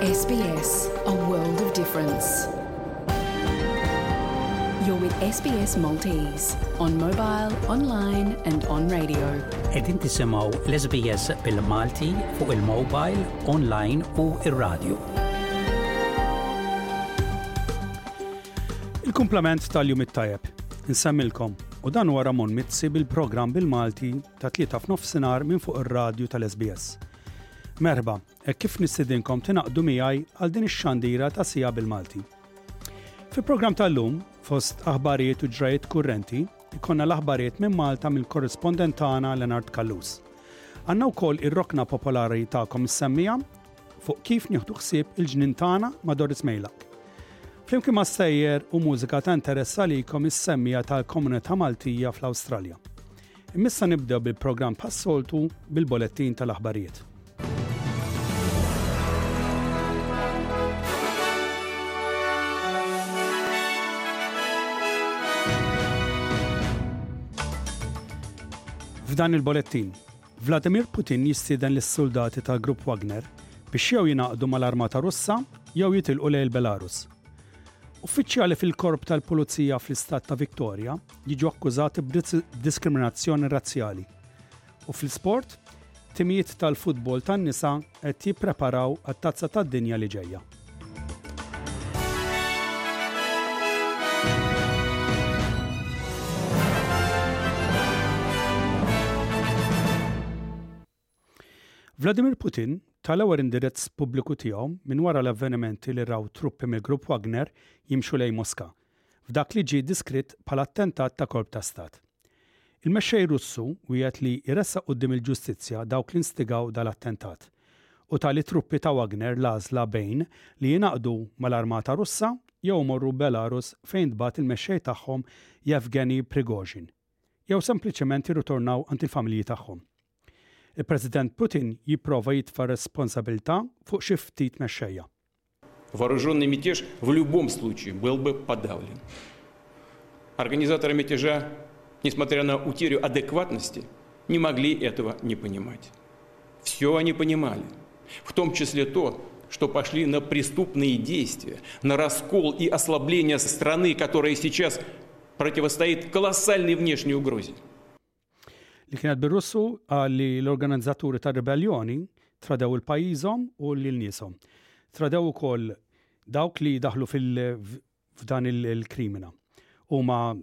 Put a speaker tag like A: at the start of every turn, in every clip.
A: SBS, a world of difference. You're with SBS Maltese on mobile, online and on radio.
B: Qegħdin tisimgħu l-SBS bil-Malti fuq il-mobile, online u ir-radio.
C: Il-kumplament tal-jum it-tajjeb. Insemmilkom u dan huwa Ramon Mizzi bil-programm bil-Malti ta' tlieta f'nofsinhar minn fuq ir-radju tal-SBS. Merħba, hekk kif nistidinkom tingħaqdu miegħi għal din ix-xandira ta' sija bil-Malti. Fil-programm tal-lum, fost aħbarijiet u ġrajiet kurrenti, ikonna l-aħbarijiet minn Malta mill-korrispondent tagħna Leonard Callus. Għandna wkoll ir-rokna popolari tagħkom is-semmija fuq kif nieħdu ħsieb il-ġnien tagħna ma' Doris Mejlak. Flimkien ma' sejjer u mużika ta' interess għalikom is-semmija tal-komunità Maltija fl-Awstralja. Imma issa nibdew bil-programm bħas-soltu bil-bolettin tal-aħbarijiet. F'dan il-bolettin, Vladimir Putin jistieden lis-suldati tal-Grupp Wagner biex jew jingħaqdu mal-Armata Russa jew jitilqu lejn il-Belarus. Uffiċjali fil-Korp tal-Pulizija fl-Istat ta' Victoria jiġu akkużati b'diskriminazzjoni razzjali. U fl-isport, timijiet tal-futbol tan-nisa qed jippreparaw għat-Tazza tad-Dinja li ġejja. Vladimir Putin ta l-ewwel indirizz pubbliku tiegħu minn wara l-avvenimenti li raw truppi mill-Grupp Wagner jimxu lejn Moska, f'dak li ġie diskritt bħala attentat ta' kolp ta' stat. Il-mexxej Russu wiegħed li jressaq quddiem il-ġustizzja dawk li nstigaw dal-attentat u ta lit-truppi ta' Wagner l-għażla bejn li jingħaqdu mal-armata Russa jew imorru Belarus fejn ntbagħat il-mexxej tagħhom Yevgeny Prigozhin jew sempliċement jirritornaw għand il-familji tagħhom. Il-President Putin jipprova jitfa' r-responsabilità fuq xi ftit mexxejja.
D: Вооруженный мятеж в любом случае был бы подавлен. Организаторы мятежа, несмотря на утерю адекватности, не могли этого не понимать. Все они понимали, в том числе то, что пошли на преступные действия, на раскол и ослабление страны, которая сейчас противостоит колоссальной внешней угрозе.
C: Li kienet bir-Russu qal li l-organizzaturi tar-ribelljoni tradew il-pajjiżhom u lil nieshom. Tradew ukoll dawk li daħlu f'dan il-krimina. Huma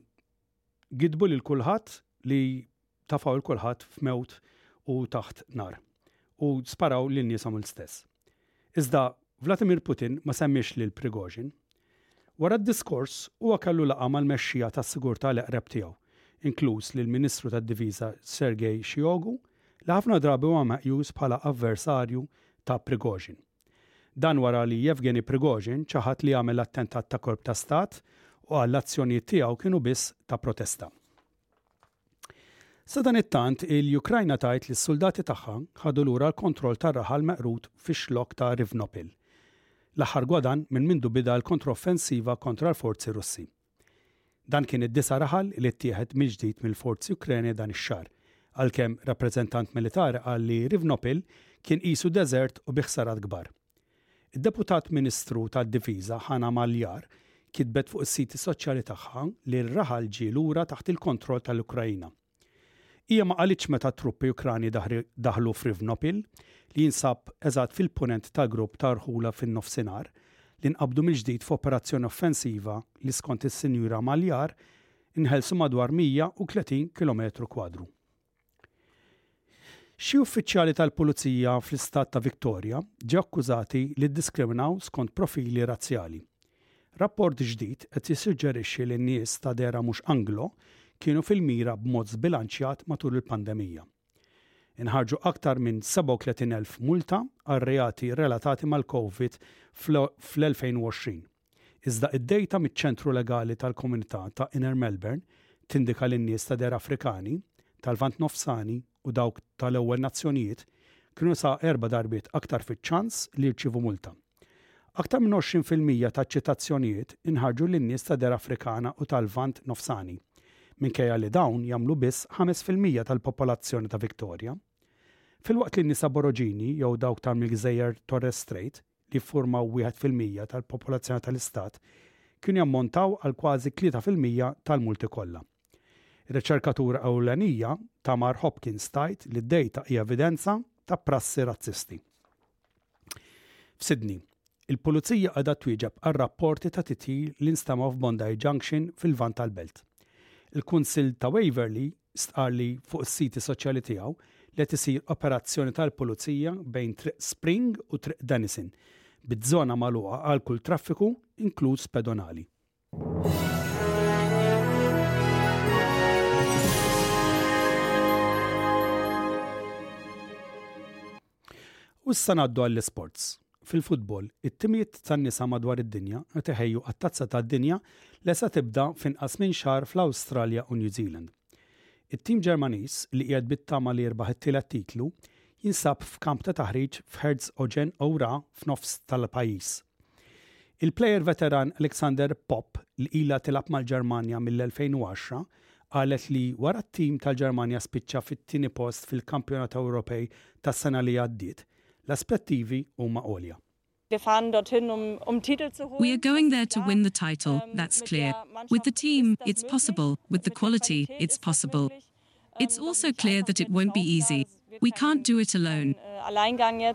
C: gidbu lil kulħadd li tafgħu 'l kulħadd f'mewt u taħt nar. U sparaw lil nieshom l-stess. Iżda Vladimir Putin ma semmiex lil Prigozhin. Wara d-diskors, huwa kellu laqgħa mal-mexxija tas-sigurtà l-eqreb tiegħu, inkluż lill-Ministru tad-Difiża Sergei Shoigu, li ħafna drabi huwa meqjus bħala avversarju ta' Prigozhin. Dan wara li Yevgeny Prigozhin ċaħad li għamel attentat ta' kolp ta' stat u qal l-azzjonijiet tiegħu kienu biss ta' protesta. Sadanittant, il-Ukrajna tgħid li s-suldati tagħha ħadu lura l-kontroll tar-raħal meqrud fix-Xlokk ta' Rivnopil, l-aħħar gwadann minn mindu bida l-kontroffensiva kontra l-forzi Russi. Dan kien id-disa' raħal li ttieħed mill-ġdid mill-forzi Ukreni dan ix-xahar, għalkemm rappreżentant militari qal li Rivnopil kien qisu deżert u bi ħsarat kbar. Id-Deputat Ministru tad-Difiża Hanna Maliar kitbet fuq is-siti soċjali tagħha li r-raħal ġie lura taħt il-kontroll tal-Ukraina. Hija ma qalitx meta t-truppi Ukrani daħlu f'Rivnopil, li jinsab eżatt fil-Punent tal-grupp ta' rħula fin-Nofsinhar, li nqabdu mill-ġdid f'operazzjoni offensiva li skont is-Sinjura Maliar inħelsu madwar 130 kilometru kwadru. Xi uffiċjali tal-pulizija fl-istat ta' Victoria ġew akkużati li ddiskriminaw skont profili razzjali. Rapport ġdid qed jissuġġerixxi li nies ta' dehra mhux Anglo kienu fil-mira b'mod żbilanċjat matul il-pandemija. Inħarġu aktar minn 37,000 multa għal reati relatati mal-Covid fl-2020. Iżda id-dejta miċ-Ċentru Legali tal-Komunità ta' Inner Melbourne tindika li n-nies ta' dehra Afrikani, tal-Lvant Nofsani u dawk tal-Ewwel Nazzjonijiet kienu sa erba' darbiet aktar fiċ-ċans li jirċievu multa. Aktar minn 20% taċ-ċitazzjonijiet inħarġu lin-nies ta' dehra Afrikana u tal-Lvant Nofsani, minkejja li dawn jagħmlu biss 5% tal-popolazzjoni ta' Victoria. Filwaqt li n-nies Aboroġini jew dawk tal mill-Gżejjer Torres Strait. li jiffurmaw 1% tal-popolazzjoni tal-istat, kienu jammontaw għal kważi 3% tal-multi kollha. Ir-riċerkatura ewlenija, Tamar Hopkins tgħid li d-dejta hija evidenza ta' prassi razzisti. F'Sydney, il-Pulizija qiegħda twieġeb għal rapporti ta' titjir li nstemgħu f'Bondi Junction fil-Lvant tal-belt. Il-Kunsill ta' Waverley stqarr li fuq is-siti soċjali tiegħu li qed isir operazzjoni tal-Pulizija bejn Triq Spring u Triq Denison, biż-żona magħluqa għal kull traffiku, inkluż pedonali. U issa ngħaddu għall-isports. Fil-futbol, it-timijiet tan-nisa madwar id-dinja qed iħejju għat-Tazza tad-Dinja li se tibda f'inqas minn xahar fl-Awstralja u New Zealand. It-tim Ġermaniż, li qiegħed bit-tama li jirbaħ it-tielet titlu, jinsab f'kamp ta' taħriġ f'Herzogenaurach f'nofs tal-pajjiż. Il-plejer veteran Alexander Popp, li ilha tilgħab mal-Ġermanja mill-2010, qalet li wara t-tim tal-Ġermanja spiċċa fit-tieni post fil-Kampjonat Ewropej tas-sena li għaddiet, l-aspettivi huma għolja.
A: Um, um We are going there to win the title, ähm, that's clear. With the team, it's possible, with the quality, it's possible. It's also clear that it won't be easy. We can't do it alone.
C: Äh,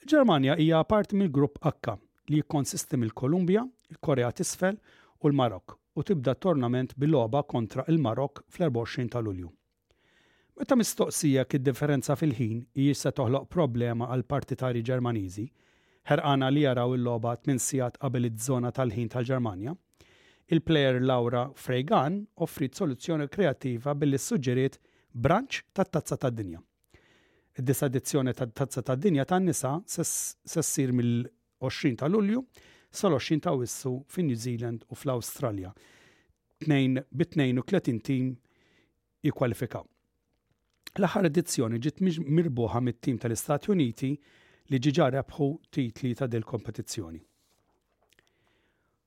C: Il-Ġermanja hija parti mill-Grupp H li jikkonsisti mill-Kolumbja, il-Korea t'Isfel u l-Marokk u tibda t-tournament bi logħba kontra il-Marokk fl-24 ta' Lulju. Meta mistoqsija jekk id-differenza fil-ħin hijiex se toħloq problema għall-partitarji Ġermaniżi, ħerqana li jaraw il-logħba tmien sigħat qabel iż-żona tal-ħin tal-Ġermanja, il-plejer Laura Freigan offriet soluzzjoni kreattiva billi ssuġġeriet brunch tat-Tazza tad-Dinja. Id-disa' edizzjoni tat-Tazza tad-Dinja tan-nisa se ssir mill-20 ta' Lulju sal-20 ta' Awwissu fi New Zealand u fl-Awstralja, bi 32 tim jikkwalifikaw. L-aħħar edizzjoni ġiet mirbuħa mit-tim tal-Istati Uniti li ġiġa rebħu titli ta' dil-kompetizzjoni.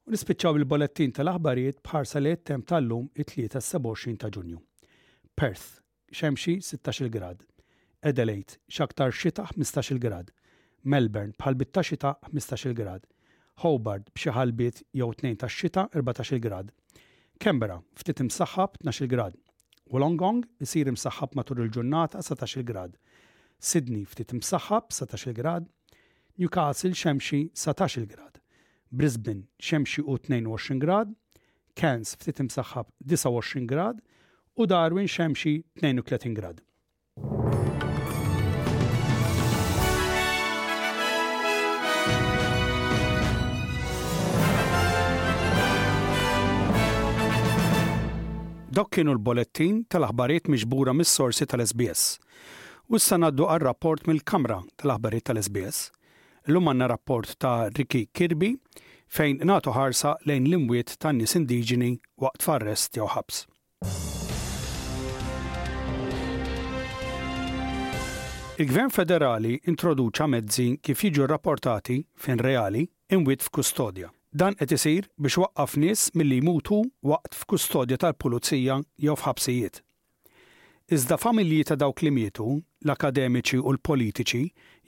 C: U nispiċċaw il-bolettin tal-aħbarijiet b'ħarsa lejn it-temp tal-lum it-Tlieta 27 ta' Ġunju. Perth, xemxi 16-il grad. Adelaide, x'aktarx xita 15-il grad. Melbourne, b'ħalbiet ta' xita 15-il grad. Hobart, b'xi ħalbiet jew tnejn tax-xita 14-il grad. Canberra, ftit imsaħħab 12-il grad. Wollongong, isir imsaħħab matul il-ġurnata 17-il grad. Sydney, ftit imsaħħab 19-il grad. Newcastle, xemxi 19-il grad. Brisbane, xemxi u 22 grad. Cairns ftit imsaħħab 29 grad u Darwin xemxi 32 grad. Dawk kienu l-bolettin tal-aħbarijiet miġbura mis-sorsi tal-SBS. U issa ngħaddu għar-rapport mill-Kamra tal-Aħbarijiet tal-SBS. Illum għandna rapport ta' Ricky Kirby fejn nagħtu ħarsa lejn l-imwiet tan-nies indiġeni waqt f'arrest jew ħabs. Il-Gvern Federali introduċa mezzi kif jiġu rrapportati, f'ħin reali, imwiet f'kustodja. Dan qed isir biex iwaqqaf nies milli jmutu waqt f'kustodja tal-pulizija jew f'ħabsijiet. Iżda familji ta' dawk li mietu, l-akademiċi u l-politiċi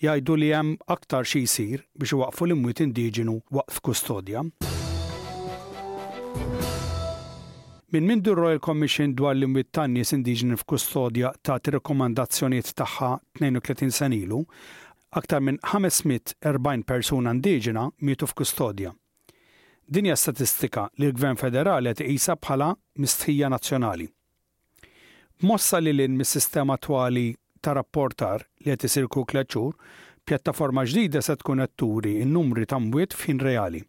C: jgħidu li hemm aktar xi jsir biex iwaqqfu l-imwiet indiġenu waqt f'kustodja. Minn mindu r-Royal Commission dwar l-imwiet tan-nies indiġeni f'kustodja tat ir-rakkomandazzjonijiet tagħha 32 sena ilu, aktar minn 540 persuna indiġena mietu f'kustodja. Din hija statistika li l-Gvern Federali qed iqisha bħala mistħija nazzjonali. B'mossa lil hinn mis-sistema attwali ta' rapportar li qed isir kull tlett xhur, pjattaforma ġdida se tkun qed turi n-numri ta' mwiet f'ħin reali.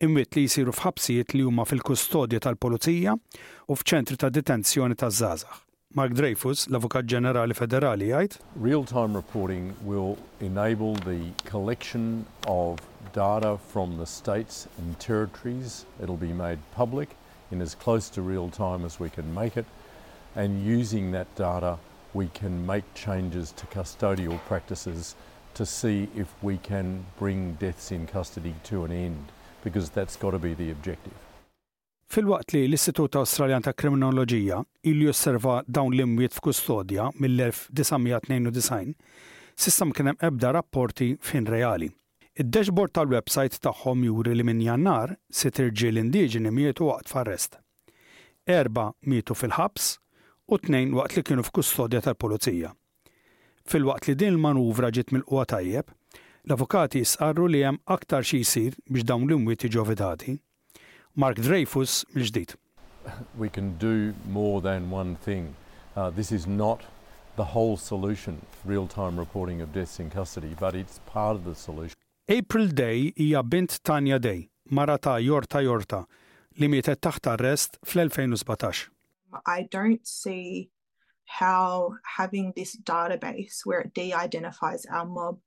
C: Imwiet li jsiru f'ħabsijiet li huma fil-kustodja tal-pulizija u f'ċentri ta' detenzjoni taż-żgħażagħ. Mark Dreyfus, l-Avukat Ġenerali Federali jgħid.
E: Real-time reporting will enable the collection of data from the states and territories. It'll be made public in as close to real time as we can make it and using that data we can make changes to custodial practices to see if we can bring deaths in custody to an end because that's got to be the objective.
C: Filwaqt li l-Istitut Awstraljan ta' Kriminoloġija ilu josserva dawn l-imwiet f'kustodja mill-1992, s'issa ma kien hemm ebda rapporti f'ħin reali. Id-dashboard tal-websajt tagħhom juri li minn Jannar, sitt irġiel indiġeni mietu waqt f'arrest. Erbgħa mietu fil-ħabs u tnejn waqt li kienu f'kustodja tal-pulizija. Filwaqt li din il-manuvra ġiet milqugħa tajjeb, l-avukati jistqarru li hemm aktar xi jsir biex dawn l-imwiet jiġu evitati. Mark Dreyfus mill-ġdid.
E: We can do more than one thing. This is not the whole solution, real-time reporting of deaths in custody, but it's part of the solution.
C: April Day hija bint Tanya Day, mara ta' Yorta Yorta, li mietet taħt arrest fl-2017.
F: I don't see how having this database where it de-identifies our mob,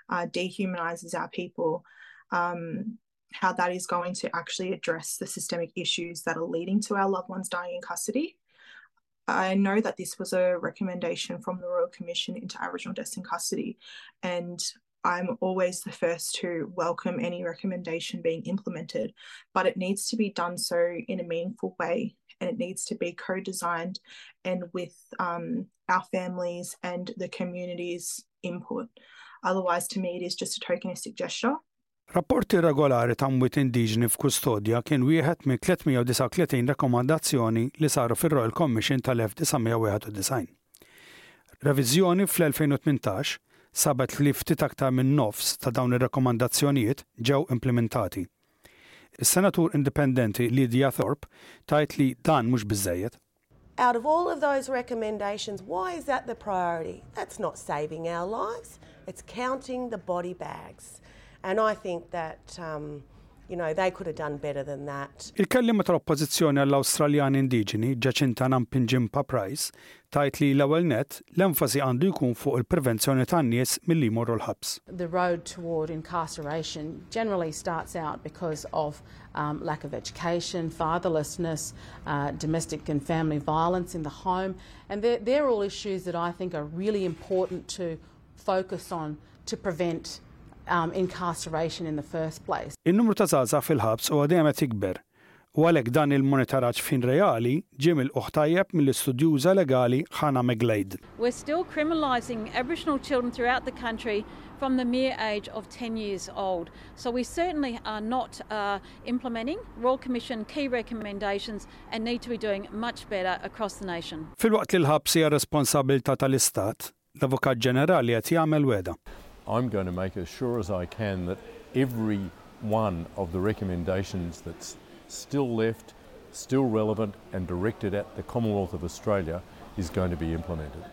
F: uh, dehumanizes our people, um, how that is going to actually address the systemic issues that are leading to our loved ones dying in custody. I know that this was a recommendation from the Royal Commission into Aboriginal Deaths in Custody, and I'm always the first to welcome any recommendation being implemented, but it needs to be done so in a meaningful way and it needs to be co designed and with um, our families and the community's input. Otherwise, to me, it is just a tokenistic gesture.
C: Rapporti regolari ta' mwiet indiġeni f'kustodja kien wieħed minn 339 rakkomandazzjoni li saru fir-Royal Commission tal-1991. Reviżjoni fl-2018 sabet li ftit aktar minn nofs ta' dawn ir-rakkomandazzjonijiet ġew implimentati. Is-Senatur Indipendenti Lydia Thorpe tgħid li dan mhux biżżejjed.
G: Out of all of those recommendations, why is that the priority? That's not saving our lives, it's counting the body bags. And I think that, um, you know, they could have done better than that.
C: Il-kelliema tal-Oppożizzjoni għall-Awstraljani Indiġeni, Jacinta Nampijinpa Price, tgħid li l-ewwel nett, l-enfasi għandu jkun fuq il-prevenzjoni tan-nies milli jmorru l-ħabs.
H: The road toward incarceration generally starts out because of um, lack of education, fatherlessness, uh, domestic and family violence in the home. And they're, they're all issues that I think are really important to focus on to prevent um, incarceration in the first place.
C: In-numru ta' żgħażagħ fil-ħabs huwa dejjem qed jikber u għalhekk dan il-monitoraġġ f'ħin reali ġie milqugħ tajjeb mill-istudjuża legali Hannah McGlade.
I: We're still criminalising Aboriginal children throughout the country from the mere age of 10 years old. So we certainly are not uh, implementing Royal Commission key recommendations and need to be doing much better across the nation.
C: Filwaqt li l-ħabs hija responsabbiltà tal-Istat, l-Avukat Ġenerali qed jagħmel wegħda.
E: I'm going to make as sure as I can that every one of the recommendations that's still left, still relevant and directed at the Commonwealth of Australia is going to be implemented.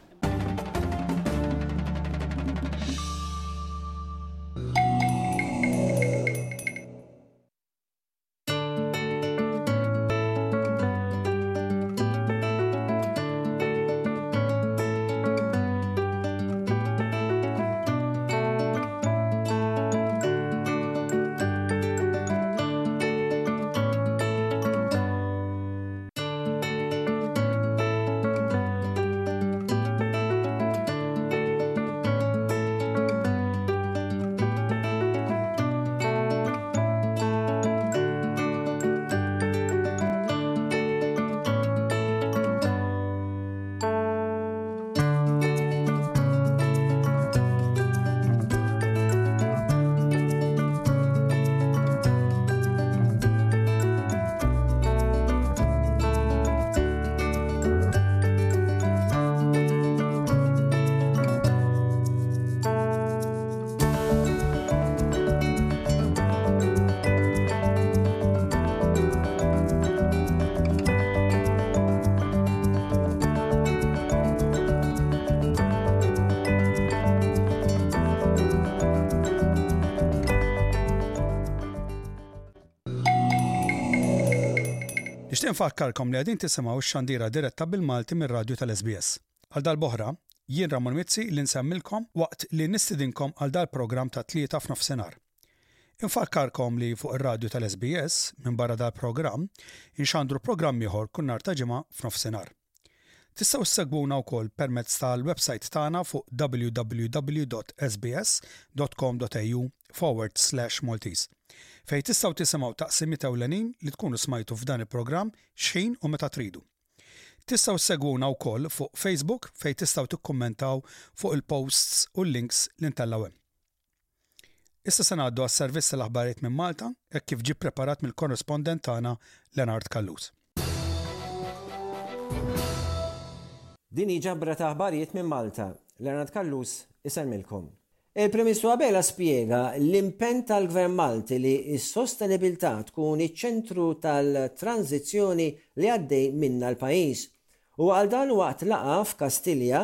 C: Nixtieq nfakkarkom li qegħdin tisimgħu x-xandira diretta bil-Malti mir-radju tal-SBS. Għal darb'oħra, jien Ramon Mizzi li nsemmilkom waqt li nistidinkom għal dal-programm tat-Tlieta f'nofsinhar. Infakkarkom li fuq ir-radju tal-SBS, minbarra dal-programm, inxandru programm ieħor kull nhar ta' Ġimgħa f'nofsinhar. Tistgħu ssegwuna wkoll permezz tal-websajt tagħna fuq www.sbs.com.au/maltese fejn tistgħu tisimgħu taqsimiet ewlenin li tkunu smajtu f'dan il-programm x'ħin u meta tridu. Tistgħu ssegwuna wkoll fuq Facebook fejn tistgħu tikkummentaw fuq il-posts u l-links li ntellgħu hemm. Issa se ngħaddu għas-servizz tal-aħbarijiet minn Malta hekk kif ġie ppreparat mill-korrispondent tagħna Leonard Callus.
J: Din hi ġabra ta' aħbarijiet minn Malta. Leonard Callus isellmilkom. Il-Prim Ministru Abela spjega l-impenn tal-Gvern Malti li s-sostenibilità tkun iċ-ċentru tal-tranżizzjoni li għaddej minnha l-pajjiż. Huwa qal dan waqt laqgħa f'Kastilja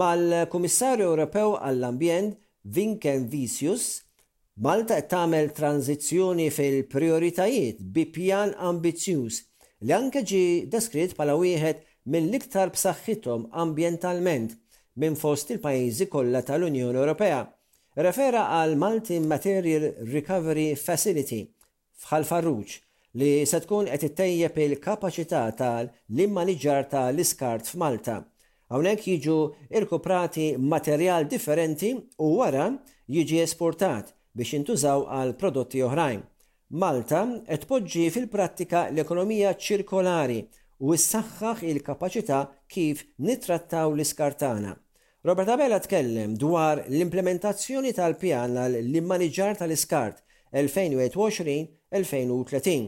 J: mal-Kummissarju Ewropew għall-Ambjent Vinkenvicius, Malta qed tagħmel tranżizzjoni fil-prijoritajiet bi pjan ambizzjuż li anke ġie deskritt bħala wieħed mill-iktar b'saħħithom ambjentalment minn fost il-pajjiżi kollha tal-Unjoni Ewropea. Irrefera għall-Multi Material Recovery Facility f'Ħal Farruġ li se tkun qed ittejjeb il-kapaċità ta' l-immaniġġar ta' l-iskart f'Malta. Hawnhekk jiġu rkuprati materjal differenti u wara jiġi esportat biex jintużaw għal prodotti oħrajn. Malta qed tpoġġi fil-prattika l-ekonomija ċirkolari u ssaħħaħ il-kapaċità kif nittrattaw l-iskart tagħna. Robert Abela tkellem dwar l-implimentazzjoni tal-pjan għall-immaniġġar tal-iskart 2021-2030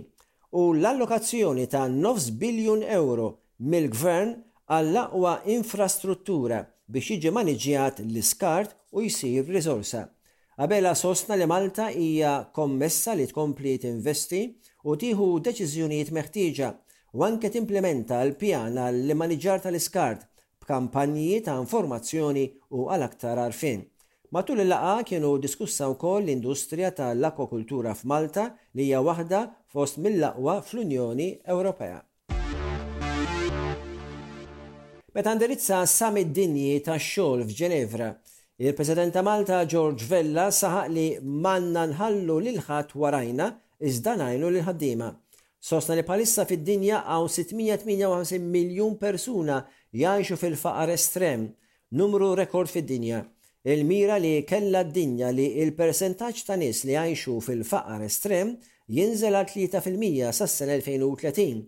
J: u l-allokazzjoni ta' nofs biljun ewro mill-Gvern għall-aqwa infrastruttura biex jiġi maniġġjat l-iskart u jsir riżorsa. Abela sostna li Malta hija kommessa li tkompli tinvesti u tieħu deċiżjonijiet meħtieġa u anke timplimenta l-pjan għall-immaniġġar tal-iskart b'kampanji ta' informazzjoni u għal aktar għarfien. Matul il-laqgħa kienu diskussa wkoll l-industrija ta' l-akwakultura f'Malta li hija waħda fost mill-aqwa fl-Unjoni Ewropea. Meta indirizza s-Summit Dinji tax-Xogħol f'Ġenevra, il-President ta' Malta George Vella saħaq li m'għandna nħallu lil ħadd warajna iżda ngħinu lill-ħaddiema. Sostna li bħalissa fid-dinja hawn 658 miljun persuna jgħixu fil-faqar estrem, numru rekord fid-dinja. Il-mira li kellha d-dinja li l-persentaġġ ta' nies li jgħixu fil-faqar estrem jinżel għal 3% sas-sena 2030.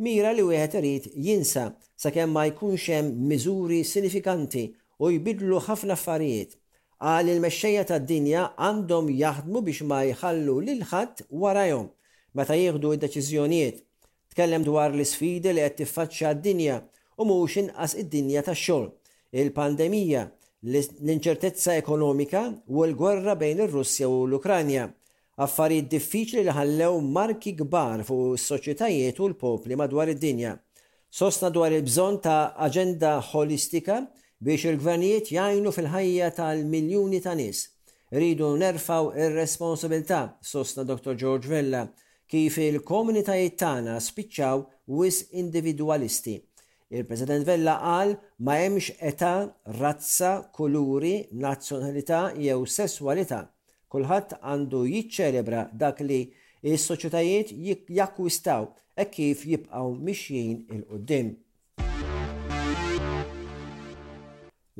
J: Mira li wieħed irid jinsa sakemm ma jkunx hemm miżuri sinifikanti u jbiddlu ħafna affarijiet. Qal li l-mexxejja tad-dinja għandhom jaħdmu biex ma jħallu lil ħadd warajhom meta jieħdu d-deċiżjonijiet. Tkellem dwar l-isfidi li qed tiffaċċja d-dinja u mhux inqas id-dinja tax-xogħol, il-pandemija, l-inċertezza ekonomika u l-gwerra bejn ir-Russja u l-Ukranja. Affarijiet diffiċli li ħallew marki kbar fuq is-soċjetajiet u l-popli madwar id-dinja. Sostna dwar il-bżonn ta' aġenda ħolistika biex il-gvernijiet jgħinu fil-ħajja tal-miljuni ta' nies. Irridu nerfgħu r-responsabilità, sostna Dottor George Vella, kif il-komunitajiet tagħna spiċċaw wisq individwalisti. Il-President Vella qal ma hemmx età, razza, kuluri, nazzjonalità jew sesswalità. Kulħadd għandu jiċċelebra dak li s-soċjetajiet jakkwistaw hekk kif jibqgħu mixjin 'il quddiem.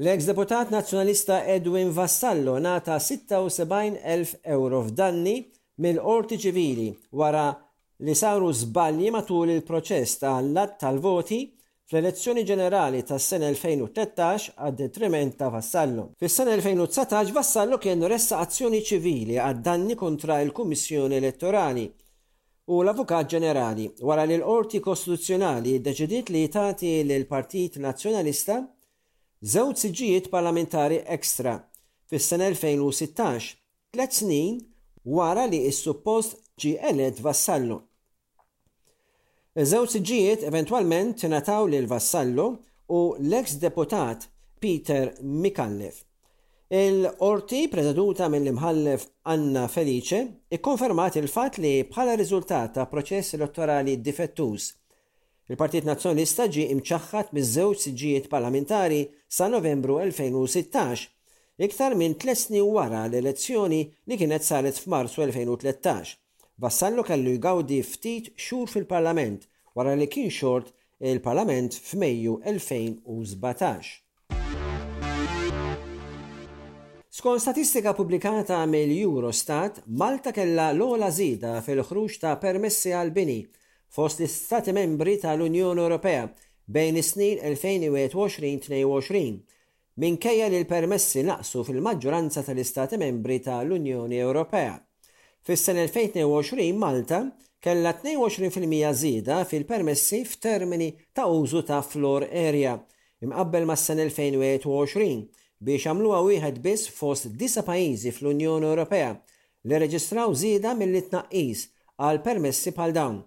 J: L-eks deputat Nazzjonalista Edwin Vassallo ngħata 76,000 ewro f'danni mill-Qorti Ċivili wara li saru żbalji matul il-proċess ta' l-għadd tal-voti fl-elezzjoni ġenerali tas-sena 2013 għad-detriment ta' Vassallo. Fis-sena 2019 Vassallo kien ressaq azzjoni ċivili għad-danni kontra l-Kummissjoni Elettorali u l-Avukat Ġenerali wara li l-Qorti Kostituzzjonali ddeċidiet li tagħti lill-Partit Nazzjonalista żewġ siġġijiet parlamentari extra fis-sena 2016, tlett snin wara li s-suppost ġie elett Vassallo. Iż-żewġ siġġijiet eventwalment ingħataw lil Vassallo u l-eks deputat Peter Micallef. Il-Qorti, preseduta mill-Imħallef Anna Felice, ikkonfermat il-fatt li bħala riżultat ta' proċess elettorali difettuż, il-Partit Nazzjonalista ġie imċaħħad miż-żewġ siġġijiet parlamentari sa Novembru 2016, iktar minn tliet snin wara l-elezzjoni li kienet saret f'Marzu 2013. Vassallo kellu jgawdi ftit xhur fil-Parlament wara li kien xort il-Parlament f'Mejju 2017. Skont statistika pubblikata mill-Eurostat, Malta kellha l-ogħla żieda fil-ħruġ ta' permessi għall-bini fost l-Istati Membri tal-Unjoni Ewropea bejn is-snin 2021-22. minkejja li l-permessi naqsu fil-maġġoranza tal-Istati Membri ta' l-Unjoni Ewropea. Fis-sena 2022 Malta kellha 22% żieda fil-permessi f'termini ta' użu ta' floor area imqabbel mas-sena 2021 biex għamluha wieħed biss fost disa' pajjiżi fl-Unjoni Ewropea li rreġistraw żieda milli tnaqqis għal permessi bħal dawn.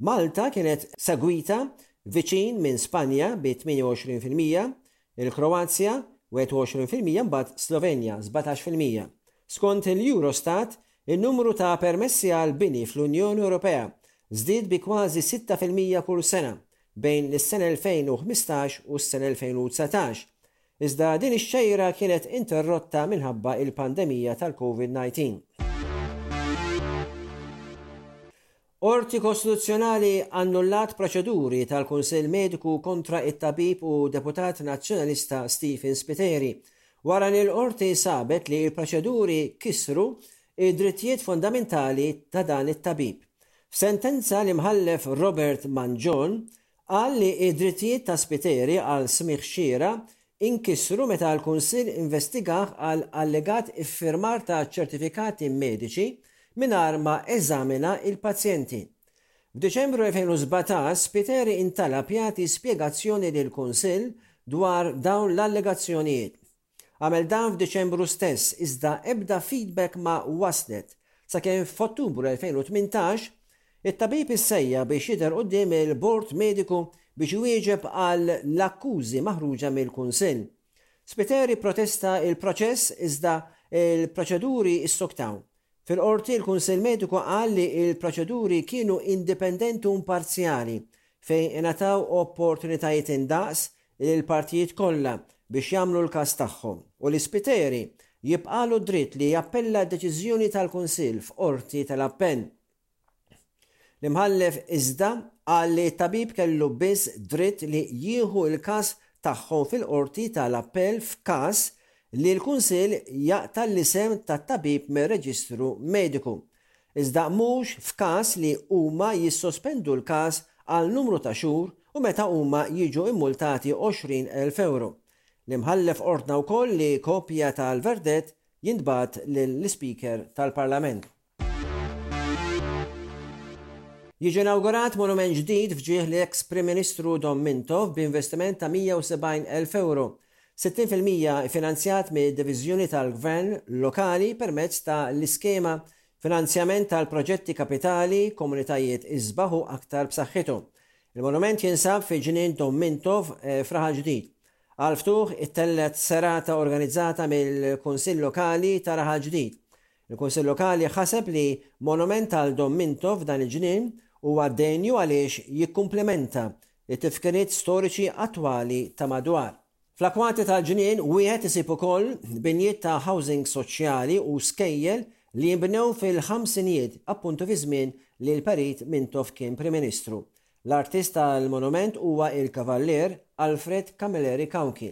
J: Malta kienet segwita viċin minn Spanja bi 28%, il-Kroazja, 21% imbagħad Slovenja, 17%. Skont il-Eurostat, in-numru ta' permessi għal bini fl-Unjoni Ewropea żdied bi kważi 6% kull sena bejn is-sena 2015 u s-sena 2019, Iżda din ix-xejra kienet interrotta minħabba il-pandemija tal-Covid 19. Qorti Kostituzzjonali annullat proċeduri tal-Kunsill Mediku kontra t-tabib u deputat Nazzjonalista Stephen Spiteri wara li l-Qorti sabet li l-proċeduri kisru d-drittijiet fundamentali ta' dan it-tabib. F'sentenza l-Imħallef Robert Mangion Qal li d-drittijiet ta' Spiteri għal smigħ xieraq inkisru meta l-Kunsill investigah għal allegat iffirmar ta' ċertifikati mediċi mingħajr ma eżamina l-pazjenti. F'Diċembru 2017 Spiteri intalab jagħti spjegazzjoni lill-Kunsill dwar dawn l-allegazzjonijiet. Għamel dan f'Diċembru stess iżda ebda feedback ma waslet sakemm f'Ottubru 2018 it-tabib issejjaħ biex jidher quddiem il-Bord Mediku biex iwieġeb għal l-akkużi maħruġa mill-Kunsill. Spiteri pprotesta l-proċess iżda l-proċeduri ssoktaw. Fil-Qorti l-Kunsill Mediku qal li l-proċeduri kienu indipendenti u imparzjali fejn ingħataw opportunitajiet indaqs lill-partijiet kollha biex jagħmlu l-każ tagħhom u li Spiteri jibqagħlu d-dritt li jappella d-deċiżjoni tal-Kunsill f'Qorti tal-Appell. L-Imħallef iżda qal li t-tabib kellu biss dritt li jieħu l-każ tagħhom fil-Qorti ta' l-Appell f'każ li l-Kunsill jaqta' l-isem tat-tabib mir-reġistru mediku, iżda mhux f'każ li huma jissospendu l-każ għal numru ta' xhur u meta huma jiġu mmultati 20,000 ewro. L-Imħallef ordna wkoll li kopja tal-verdett jintbagħat lill-Ispeaker tal-Parlament. Jiġi inawgurat monument ġdid f'ġieħ l-eks Prim Ministru Dom Mintoff b'investiment ta' 170,000 ewro, 60% iffinanzjat mid-Diviżjoni tal-Gvern Lokali permezz ta' l-iskema Finanzjament tal-Proġetti Kapitali, Komunitajiet Isbaħ u Aktar B'Saħħithom. Il-monument jinsab fi Ġnien Dom Mintoff f'Raħal Ġdid. Għall-ftuħ ittellgħet serata organizzata mill-Kunsill Lokali ta' Raħal Ġdid. Il-Kunsill Lokali ħaseb li monument għal Dom Mintoff f'dan il-ġnien huwa denju għaliex jikkumplimenta t-tifkiriet storiċi attwali ta' madwar. Fl-akkwati tal-ġnien wieħed isib ukoll binjiet ta' housing soċjali u skejjel li nbnew fil-ħamsinijiet appuntu fi żmien li l-Perit Mintoff kien Prim Ministru. L-artist tal-monument huwa il-Kavallier Alfred Camilleri Cauchi.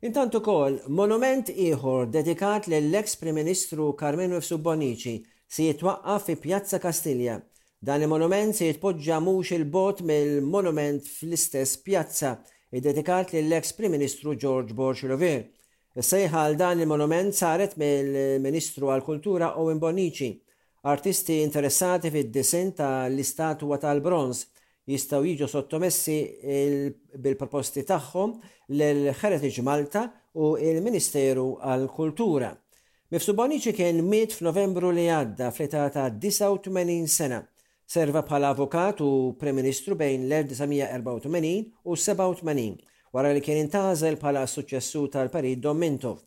J: Intant ukoll, monument ieħor dedikat lill-eks Prim Ministru Karmenu Mifsud Bonnici se jitwaqqaf fi Pjazza Kastilja. Dan il-monument se jitpoġġa mhux 'il bogħod mill-monument fl-istess pjazza iddedikat lill-eks Prim Ministru George Borg Olivier. Is-sejħa għal dan il-monument saret mill-Ministru għall-Kultura Owen Bonnici. Artisti interessati fid-disinn ta' l-istatwa tal-bronż jistgħu jiġu sottomessi bil-proposti tagħhom lil Heritage Malta u l-Ministeru għall-Kultura. Mifsud Bonnici kien miet f'Novembru li għadda fl-età ta' 89 sena. Serva bħala avukat u Prim Ministru bejn l-1984 u 87, wara li kien intgħażel bħala s-suċċessur tal-Perit Dom Mintoff.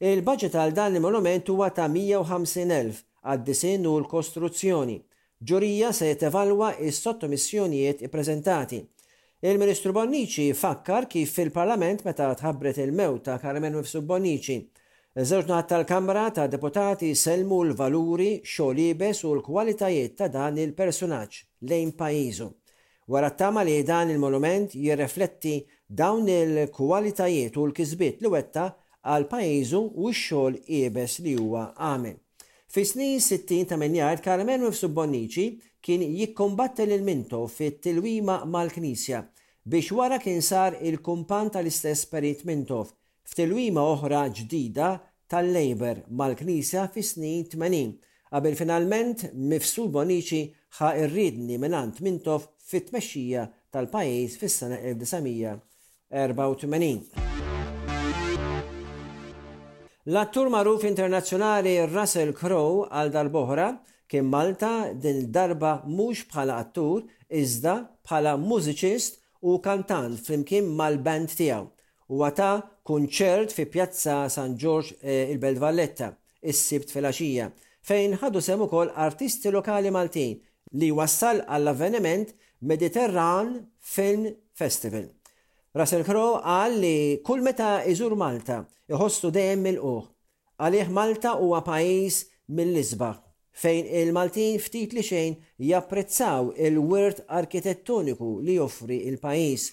J: Il-baġit għal dan il-monument huwa ta' 150,000 għad-disinn u l-kostruzzjoni. Ġurija se tevalwa s-sottomissjonijiet ippreżentati. Il-Ministru Bonnici fakkar kif fil-Parlament meta tħabbret il-mewt ta' Carmen Mifsud Bonnici, iż-żewġ naħat tal-Kamra tad-Deputati sellmu l-valuri, xogħol iebes u l-kwalitajiet ta' dan il-persunaġġ lejn pajjiżu. Wara ttama li dan il-monument jirrefletti dawn il-kwalitajiet u l-kisbiet li wettaq għal pajjiżu u x-xogħol iebes li huwa għamel. Fis-snin 60 ta' min jgħid Karmenu Mifsud Bonnici kien jikkumbatti lil Mintoff fit-tilwima mal-Knisja. biex wara kien sar il-kumpann tal-istess Perit Mintoff f'tilwima oħra ġdida tal-Labour mal-Knisja fis-snin 80, qabel finalment Mifsud Bonnici ħa r-riedni mingħand Mintoff fit-tmexxija tal-pajjiż fis-sena 1984. L-attur magħruf internazzjonali Russell Crowe għal darb'oħra kien Malta din id-darba mhux bħala attur iżda bħala mużiċist u kantant flimkien mal-band tiegħu. Huwa ta kunċert fi Pjazza San Ġorġ il-Belt Valletta is-Sibt filgħaxija, fejn ħadu sehem ukoll artisti lokali Maltin li wassal għall-avveniment Mediterran Film Festival. Russell Crowe qal li kull meta jżur Malta jħossu dejjem milqugħ. Għalih Malta huwa pajjiż mill-isbaħ, fejn il-Maltin ftit li xejn japprezzaw il-wirt arkitettoniku li joffri l-pajjiż.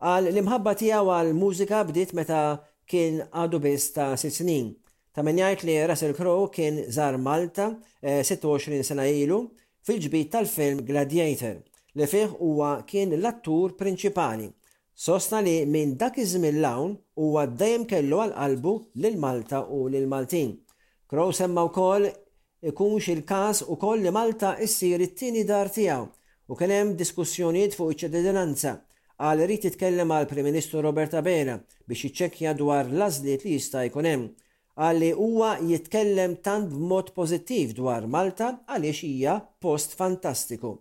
J: Qal l-imħabba tiegħu għall-mużika bdiet meta kien għadu biss ta' sitt snin. Ta' min jgħid li Russell Crowe kien żar Malta 26 sena ilu fil-ġbid tal-film Gladiator, li fih huwa kien l-attur prinċipali. Sostna li minn dak iż-żmien 'l hawn huwa dejjem kellu għal qalbu lil Malta u lill-Maltin. Crowe semma wkoll ikunx il-każ ukoll li Malta issir it-tieni dar tiegħu u kien hemm diskussjonijiet fuq iċ-ċittadinanza. Qal irid jitkellem mal-Prim Ministru Robert Abela biex jiċċekkja dwar l-għażliet li jista' jkun hemm. Qal li huwa jitkellem tant b'mod pożittiv dwar Malta għaliex hija post fantastiku.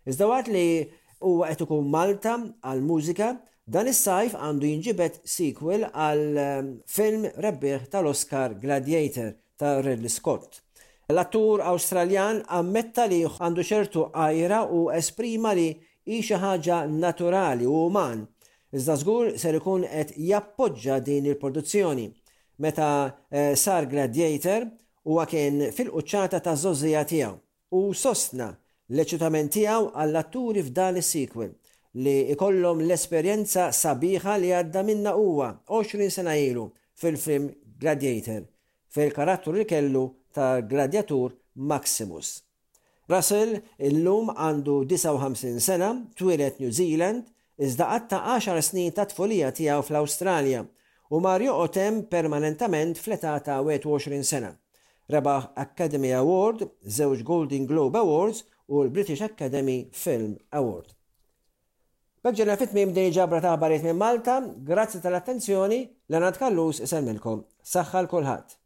J: Iżda waqt li huwa qed ikun Malta għall-mużika, dan is-sajf għandu jinġibed sequel għall-film rebbieħ tal-Oscar Gladiator ta' Ridley Scott. L-attur Awstraljan ammetta li għandu ċertu għira u esprima li hi xi ħaġa naturali u uman, iżda żgur ser ikun qed jappoġġa din il-produzzjoni. Meta sar Gladiator, huwa kien fil-quċċata taż-żgħożija tiegħu u sostna l-eċitament tiegħu għall-atturi f'dan is-sequel, li jkollhom l-esperjenza sabiħa li għadda minnha huwa 20 sena ilu fil-film Gladiator, fil-karattru li kellu tal-gladjatur Maximus. Russell illum għandu 59 sena, twieled New Zealand, iżda qatta' għaxar snin tat-tfulija tiegħu fl-Awstralja u mar joqgħod hemm permanentament fl-età ta' 21 sena. Rebaħ Academy Award, żewġ Golden Globe Awards u l-British Academy Film Award. B'hekk ġejna fi tmiem din il-ġabra ta' aħbarijiet minn Malta. Grazzi tal-attenzjoni, Leonard Callus isellmilkom. Saħħa 'l kulħadd.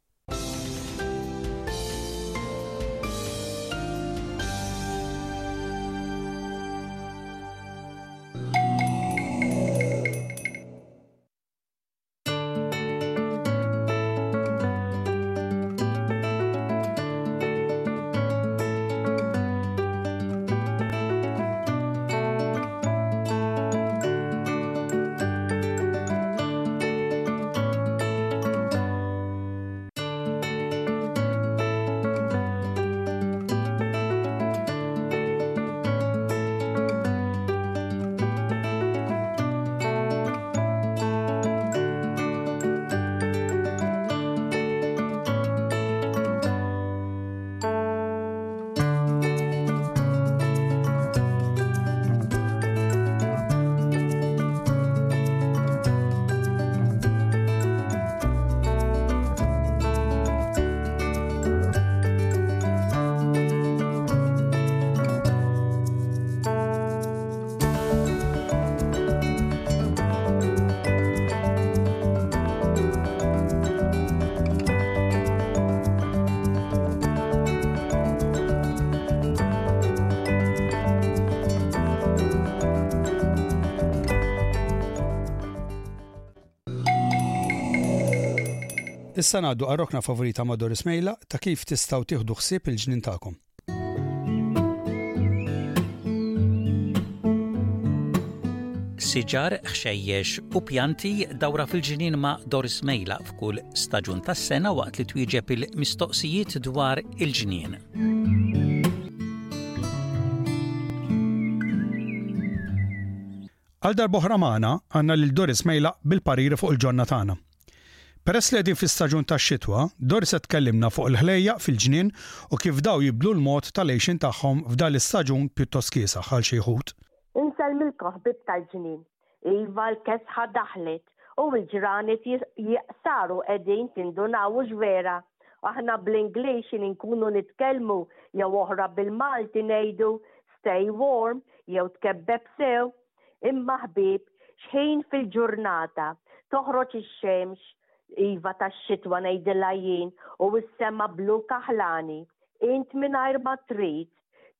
C: Issa ngħaddu għar-rokna favorita ma' Doris Mejla ta' kif tistgħu tieħdu ħsieb il-ġnien tagħkom.
B: Siġar, ħxejjex u pjanti dawra fil-ġnien ma' Doris Mejla f'kull staġun tas-sena waqt li twieġeb il-mistoqsijiet dwar il-ġnien.
C: Għal darb'oħra magħna għandna lil Doris Mejlaq bil-pariri fuq il-ġonna tagħna. Peress li qegħdin fl-istaġun tax-xitwa, Doris se tkellimna fuq il-ħlejjaq fil-ġnien u kif daw jibdlu l-mod tal-għixien tagħhom f'dan l-istaġun pjuttost kiesaħ għal xi wħud.
K: Insellmilkom ħbieb tal-ġnien. Iva l-kesħa daħlet u l-ġranet jaqsaru qegħdin tindunaw hux vera? Aħna bl-Ingliż x'in inkunu nitkellmu jew oħra bil-Malti ngħidu stay warm jew tkebbeb sew. Imma ħbieb, x'ħin fil-ġurnata toħroġ ix-xemx, iva tax-xitwa ngħidilha jien, u s-sema blu kaħlani, int mingħajr ma trid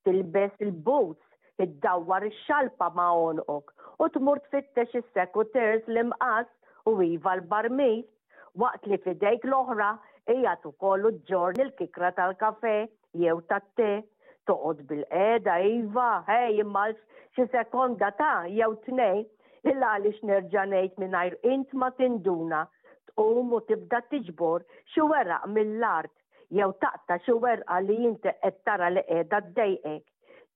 K: tilbes il-boots, iddawwar ix-xalpa ma' għonqok u tmur tfittex is-secateurs, l-imqass u iva l-barmil, waqt li f'idejk l-oħra qiegħed ukoll u ġġorr il-kikra tal-kafè jew tat-te. Toqgħod bilqiegħda iva, ħej imma għal xi sekonda ta' jew tnejn, il għaliex nerġa' ngħid mingħajr int ma tinduna, tqum u tibda tiġbor xi weraq mill-art jew taqta' xi werqa li inti qed tara li qiegħda ddejqek.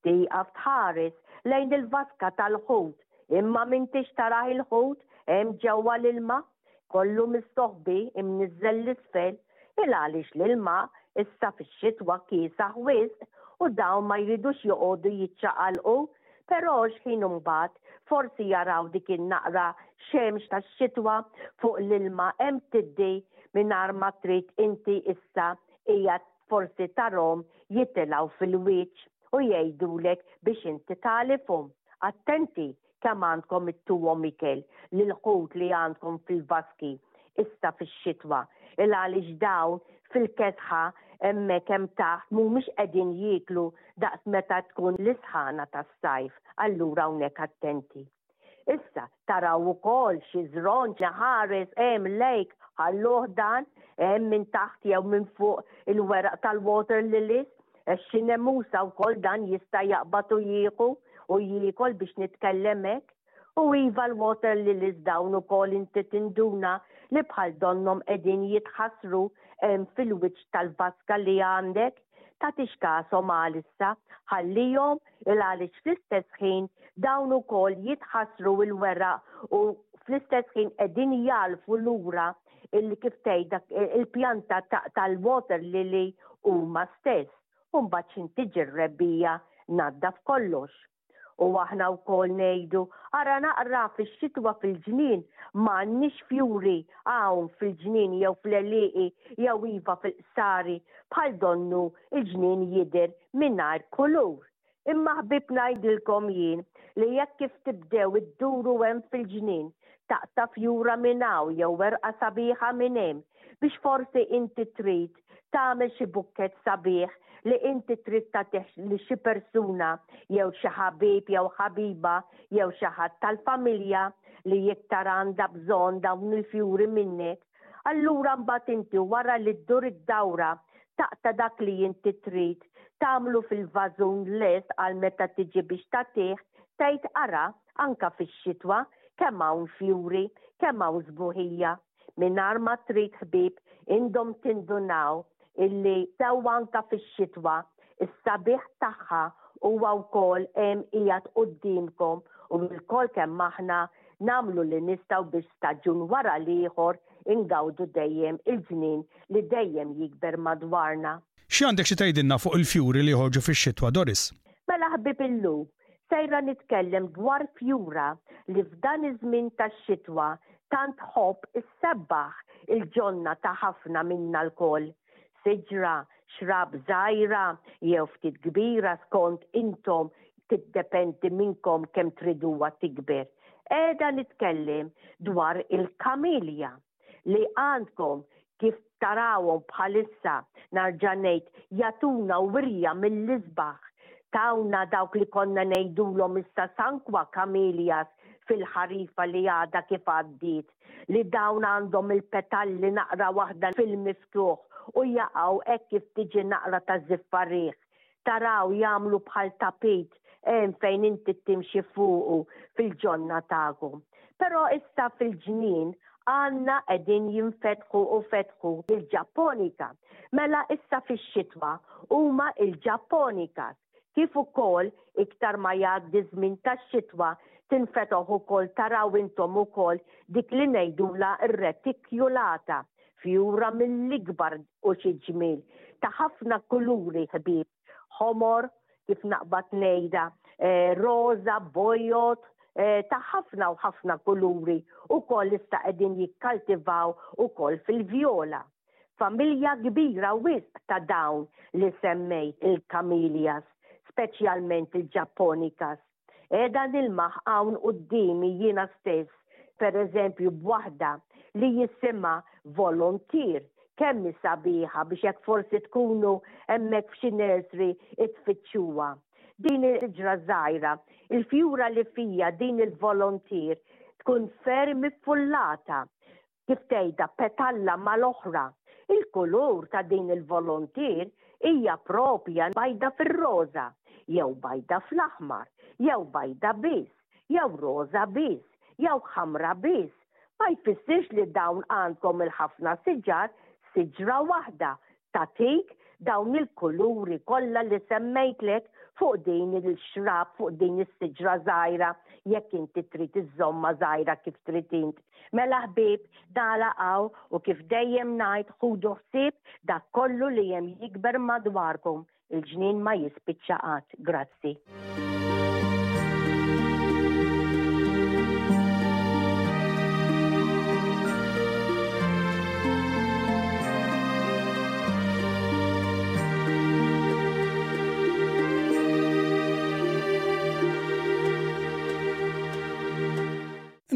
K: Tieqaf tħares lejn il-vaska tal-ħut, imma m'intix tarah il-ħut hemm ġewwa l-ilma, kollu mistoħbi imniżżel 'l isfel, il għaliex l-ilma issa fix-xitwa kiesaħ wisq u dawn ma jridux joqogħdu jiċċaqalqu, però x'ħin imbagħad forsi jaraw dik in-naqra xemx tax-xitwa fuq l-ilma hemm tiddi mingħajr ma trid inti issa qiegħed forsi tarhom jitilgħu fil-wiċċ u jgħidulek biex inti tagħlifhom. Attenti kemm għandkom ittuhom ikel lill-ħut li għandkom fil-vaski issa fix-xitwa, il għaliex dawn fil-kesħa hemmhekk hemm taħt mhumiex qegħdin jieklu daqs meta tkun l-isħana tas-sajf, allura hawnhekk attenti. Issa, taraw ukoll xi żronġ ħares hemm lejk ħalluh dan hemm minn taħt jew minn fuq il-weraq tal-water lilies, għax xi nemusa wkoll dan jista' jaqbad u jieħu u jiekol biex nitkellem hekk. U iva l-water lilies dawn ukoll inti tinduna li bħal donnhom qegħdin jitħassru hemm fil-wiċċ tal-vaska li għandek. Tagħtix kashom għalissa, ħallihom il għaliex fl-istess ħin dawn ukoll jitħassru l-weraq u fl-istess ħin qegħdin jagħlfu lura il kif tgħid dak il-pjanta tal-water lily huma stess. U mbagħad x'in tiġi r-rebbiegħa naddaf kollox. U aħna wkoll ngħidu, ara naqra fix-xitwa fil-ġnien m'għandniex fjuri hawn fil-ġnien jew fl-għelieqi jew iva fil-qsari bħal donnu l-ġnien jidher mingħajr kulur. Imma ħbieb ngħidilkom jien li jekk kif tibdew idduru hemm fil-ġnien taqta' fjura minn hawn jew werqa sabiħa minn hemm biex forsi inti trid tagħmel xi bukkett sabiħ li inti trid tagħtih lil xi persuna jew xi ħabib jew ħabiba jew xi ħadd tal-familja li iktar għandha bżonn dawn il-fjuri minnek, allura mbagħad inti wara li ddur id-dawra taqta' dak li inti trid tagħmlu fil-vażun lest għal meta tiġi biex tagħtih, tgħid ara anke fix-xitwa kemm hawn fjuri, kemm hawn sbuħija. Mingħajr ma trid ħbieb intom tindunaw illi sew anka fix-xitwa is-sabiħ tagħha huwa wkoll hemm qiegħed quddiemkom u lkoll kemm aħna nagħmlu li nistgħu biex staġun wara l-ieħor ingawdu dejjem il-ġnien li dejjem jikber madwarna.
C: X'għandek xi tgħidilna fuq il-fjuri li joħorġu fix-xitwa, Doris?
K: Mela ħbieb illum Sejra nitkellem dwar fjura li f'dan iż-żmien tax-xitwa tant tħobb issebbaħ il-ġonna ta' ħafna minna lkoll. Siġra, xrab żgħira jew ftit kbira skont intom tiddependi minnkom kemm triduha tikber. Qiegħda nitkellem dwar il-kamilja. li għandkom kif tarawhom bħalissa, narġa' ngħid, jagħtuna wirja mill-isbaħ. Tawna dawk li konna ngħidulhom issa Sanqua Camellias fil-ħarifa li għadha kif għaddiet, li dawn għandhom il-petalli naqra waħda fil-miftuħ u jaqgħu hekk kif tiġi naqra ta' żiffa riħ. Taraw jagħmlu bħal tapit hemm fejn inti timxi fuqu fil-ġonna tagħkom. Però issa fil-ġnien għandna qegħdin jinfetħu u fetħu il-Ġapponika. Mela issa fix-xitwa huma il-Ġapponikas kif ukoll iktar ma jgħaddi żmien tax-xitwa tinfetoħ ukoll taraw intom ukoll dik li ngħidulha r-reticulata Fjura mill-ikbar u xi ġmiel ta' ħafna kuluri ħbieb, ħomor, kif naqbad ngħidha, eh, roża, bojod, ta' ħafna u ħafna kuluri ukoll issa qegħdin jikkaltivaw ukoll fil-vjola. Familja kbira wisq ta' dawn li semmejt il-camellias, speċjalment il-japonicas. Qiegħda nilmaħ hawn quddiemi jiena stess, per eżempju b'waħda li jisimha Volunteer, kemm hi sabiħa biex hekk forsi tkunu hemmhekk f'xi nursery tfittxuha. Din is-siġra żgħira, il-fjura li fija din il-Volunteer tkun ferm iffullata kif tgħidha petalla mal-oħra. Il-kulur ta' din il-volunteer hija propja bajda fir-roża, jew bajda fl-aħmar, jew bajda biss, jew roża biss, jew ħamra biss. Ma jfissirx li dawn għandkom il-ħafna siġar, siġra waħda tagħtik dawn il-kuluri kollha li semmejtlek fuq din il-xrab, fuq din is-siġra żgħira, jekk inti trid iżżommha żgħira kif trid int. Mela ħbieb, nagħlaq hawn u kif dejjem ngħid ħudu ħsieb dak kollu li hemm jikber madwarkom. Il-ġnien ma jispiċċa qatt. Grazzi.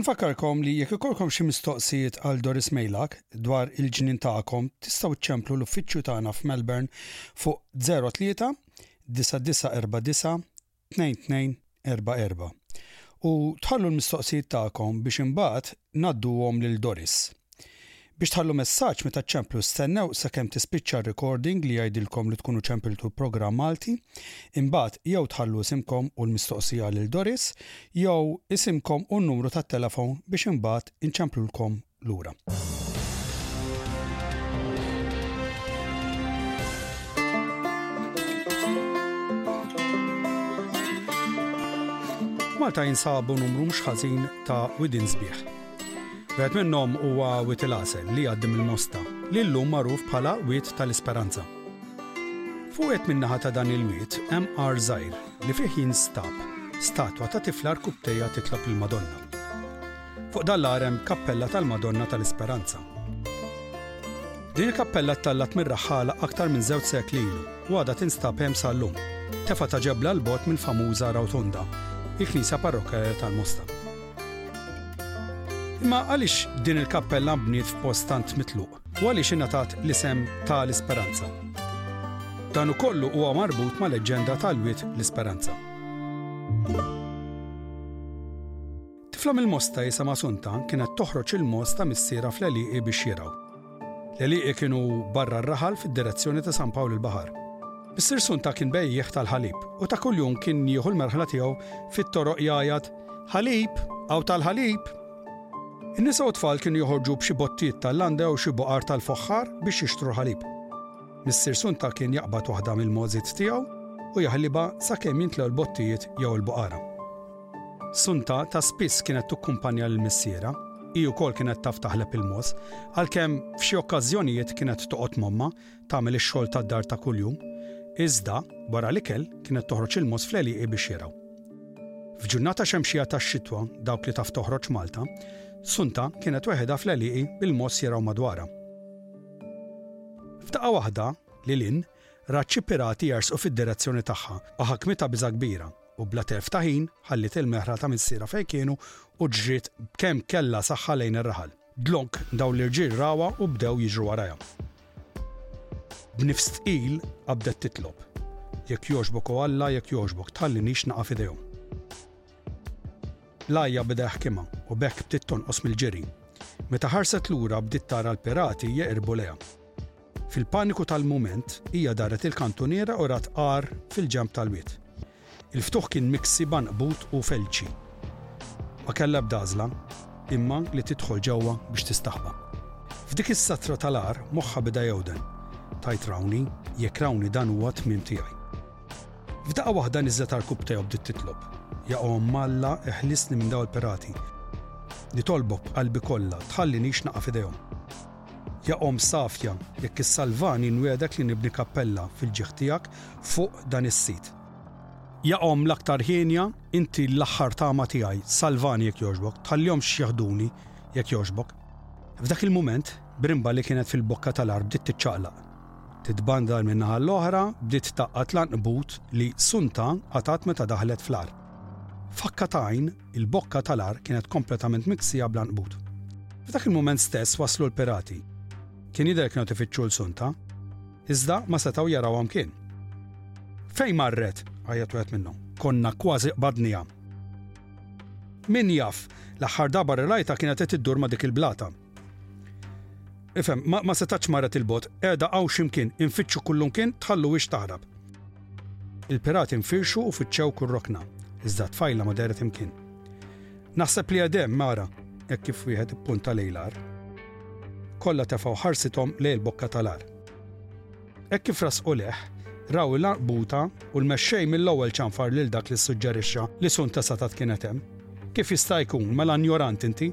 C: Infakkarkom li jekk ikollkom xi mistoqsijiet għal Doris Mejlak dwar il-ġnien tagħkom tistgħu ċċemplu l-uffiċċju tagħna f'Melbourne fuq 03 9949 2244 u tħallu l-mistoqsijiet tagħkom biex imbagħad ngħadduhom lil Doris. Biex tħallu messaġġ meta ċċemplu stennew sakemm tispiċċa r-recording li jgħidilkom li tkunu ċempiltu l-programm Malti, imbagħad jew tħallu isimkom u l-mistoqsija lil Doris jew isimkom u n-numru tat-telefon biex imbagħad inċemplulkom lura. Malta jinsabu numru mhux ħażin ta' widien sbieħ. Wieħed minnhom huwa Wied il-Għasel li jgħaddi mill-Mosta, li llum magħruf bħala Wied tal-Isperanza. Fuq wieħed min-naħa ta' dan il-wied hemm għar żgħir li fih jinstab statwa ta' tifla rkubtejja titlob lill-Madonna. Fuq dan l-għar hemm kappella tal-Madonna tal-Isperanza. Din il-kappella ttallat mir-raħħala aktar minn żewġ sekli ilu u għadha tinstab hemm sal-lum, tefgħa ta' ġebla 'l bogħod mill-famuża Rotunda, il-knisja parrokkjali tal-Mosta. Imma għaliex din il-kappella nbniet f'post tant mitluq u għaliex ingħatat l-isem ta' l-Isperanza? Dan ukollu huwa marbut ma' leġġenda tal-Wied l-Isperanza. Tifla mill-Mosta jisimha Sunta kienet toħroġ il-mogħoż ta' missierha fl-għelieqi biex jirgħu. L-għelieqi kienu barra r-raħal fid-direzzjoni ta' San Pawl il-Baħar. Missier Sunta kien bejjiegħ tal-ħalib u ta' kuljum kien jieħu l-merħla tiegħu fit-toroq jgħajjat, Ħalib! Hawn tal-ħalib! In-nisa u t-tfal kienu joħorġu b'xi bottijiet tal-landa jew xi boqar tal-foħħar biex jixtru l-ħalib. Missier Sunta kien jaqbad waħda mill-mogħżiet tiegħu u jaħlibha sakemm jintlew l-bottijiet jew il-boqara. Sunta ta' spiss kienet tukkumpanja lil missierha. Hi wkoll kienet taf taħleb il-mogħoż, għalkemm f'xi okkażjonijiet kienet toqgħod m'ommha tagħmel ix-xogħol tad-dar ta' kuljum. Iżda, wara l-ikel, kienet toħroġ il-mogħoż fl-għelieqi biex jirgħu. F'ġurnata xemxija tax-xitwa, dawk li taf toħroġ Malta, Sunta kienet weħidha fl-għelieqi bil-mogħoż jirgħu madwarha. F'daqqa waħda, lil hinn, rat xi pirati jersqu fid-direzzjoni tagħha u ħakmitha biża' kbira. U bla telf ta' ħin, ħalliet il-merħla ta' missierha fejn kienu u ġriet b'kemm kellha saħħa lejn ir-raħal. Dlonk, dawn l-irġiel rawha u bdew jiġru warajha. B'nifs tqil qabdet titlob, Jekk jogħġbok o Alla, jekk jogħġbok, tħallinix naqa' f'idejhom. L-għajja beda jaħkimha u b'hekk bdiet tonqos mill-ġiri. Meta ħarset lura bdiet tara l-pirati jeqirbu lejha. Fil-paniku tal-mument, hija daret il-kantuniera u rat għar fil-ġenb tal-wied. Il-ftuħ kien miksi b'għanqbut u felċi. Ma kellha ebda għażla, imma li tidħol ġewwa biex tistaħba. F'dik is-satra tal-għar moħħha beda jewden. Tgħid rawni, jekk rawni dan huwa t-tmiem tiegħi. F'daqqa waħda niżlet għarkupptejha u bdiet titlob, Ja Omm Alla, eħlisni minn dawn il-pirati. Nitolbok b'qalbi kollha, tħallinix naqa' f'idejhom. Ja Omm safja, jekk issalvani nwiegħdek li nibni kappella fil-ġieħ tiegħek fuq dan is-sit. Ja Omm l-aktar hienja, inti l-aħħar tama tiegħi, salvani jekk jogħġbok, tħallihomx jeħduni jekk jogħġbok. F'dak il-mument, brimba li kienet fil-bokka tal-għar bdiet tiċċaqlaq. Titbandal minn naħa għall-oħra, bdiet tgħaqqad l-għanqbut li Sunta qatgħet meta daħlet fl-għar. F'ħakka ta' għajn, il-bokka tal-għar kienet kompletament miksija bl-għanqbut. F'dak il-mument stess waslu l-pirati. Kien jidher kienu qed ifittxu 'l Sunta. Iżda ma setgħu jarawha mkien. Fejn marret? għajjat wieħed minnhom. Konna kważi qbadniha. Min jaf, l-aħħar darba li rajtha kienet qed iddur ma' dik il-blata. Ifhem, ma, ma setatx marret il-bogħod, qiegħda hawn x'imkien, infittxu kullumkien, tħalluhiex taħrab. Il-pirati nfirxu u fittxew kull rokna, iżda t-tfajla ma dehret imkien. Naħseb li qed hemm, ara, hekk kif wieħed ippunta lejn l-għar. Kollha tefgħu ħarsithom lejn il-bokka tal-għar. Hekk kif resqu lejh, raw il-għanqbuta u l-mexxej mill-ewwel ċanfar lil dak li ssuġġerixxa li Sunta setgħet kienet hemm. Kif jista' jkun, mela injorant inti?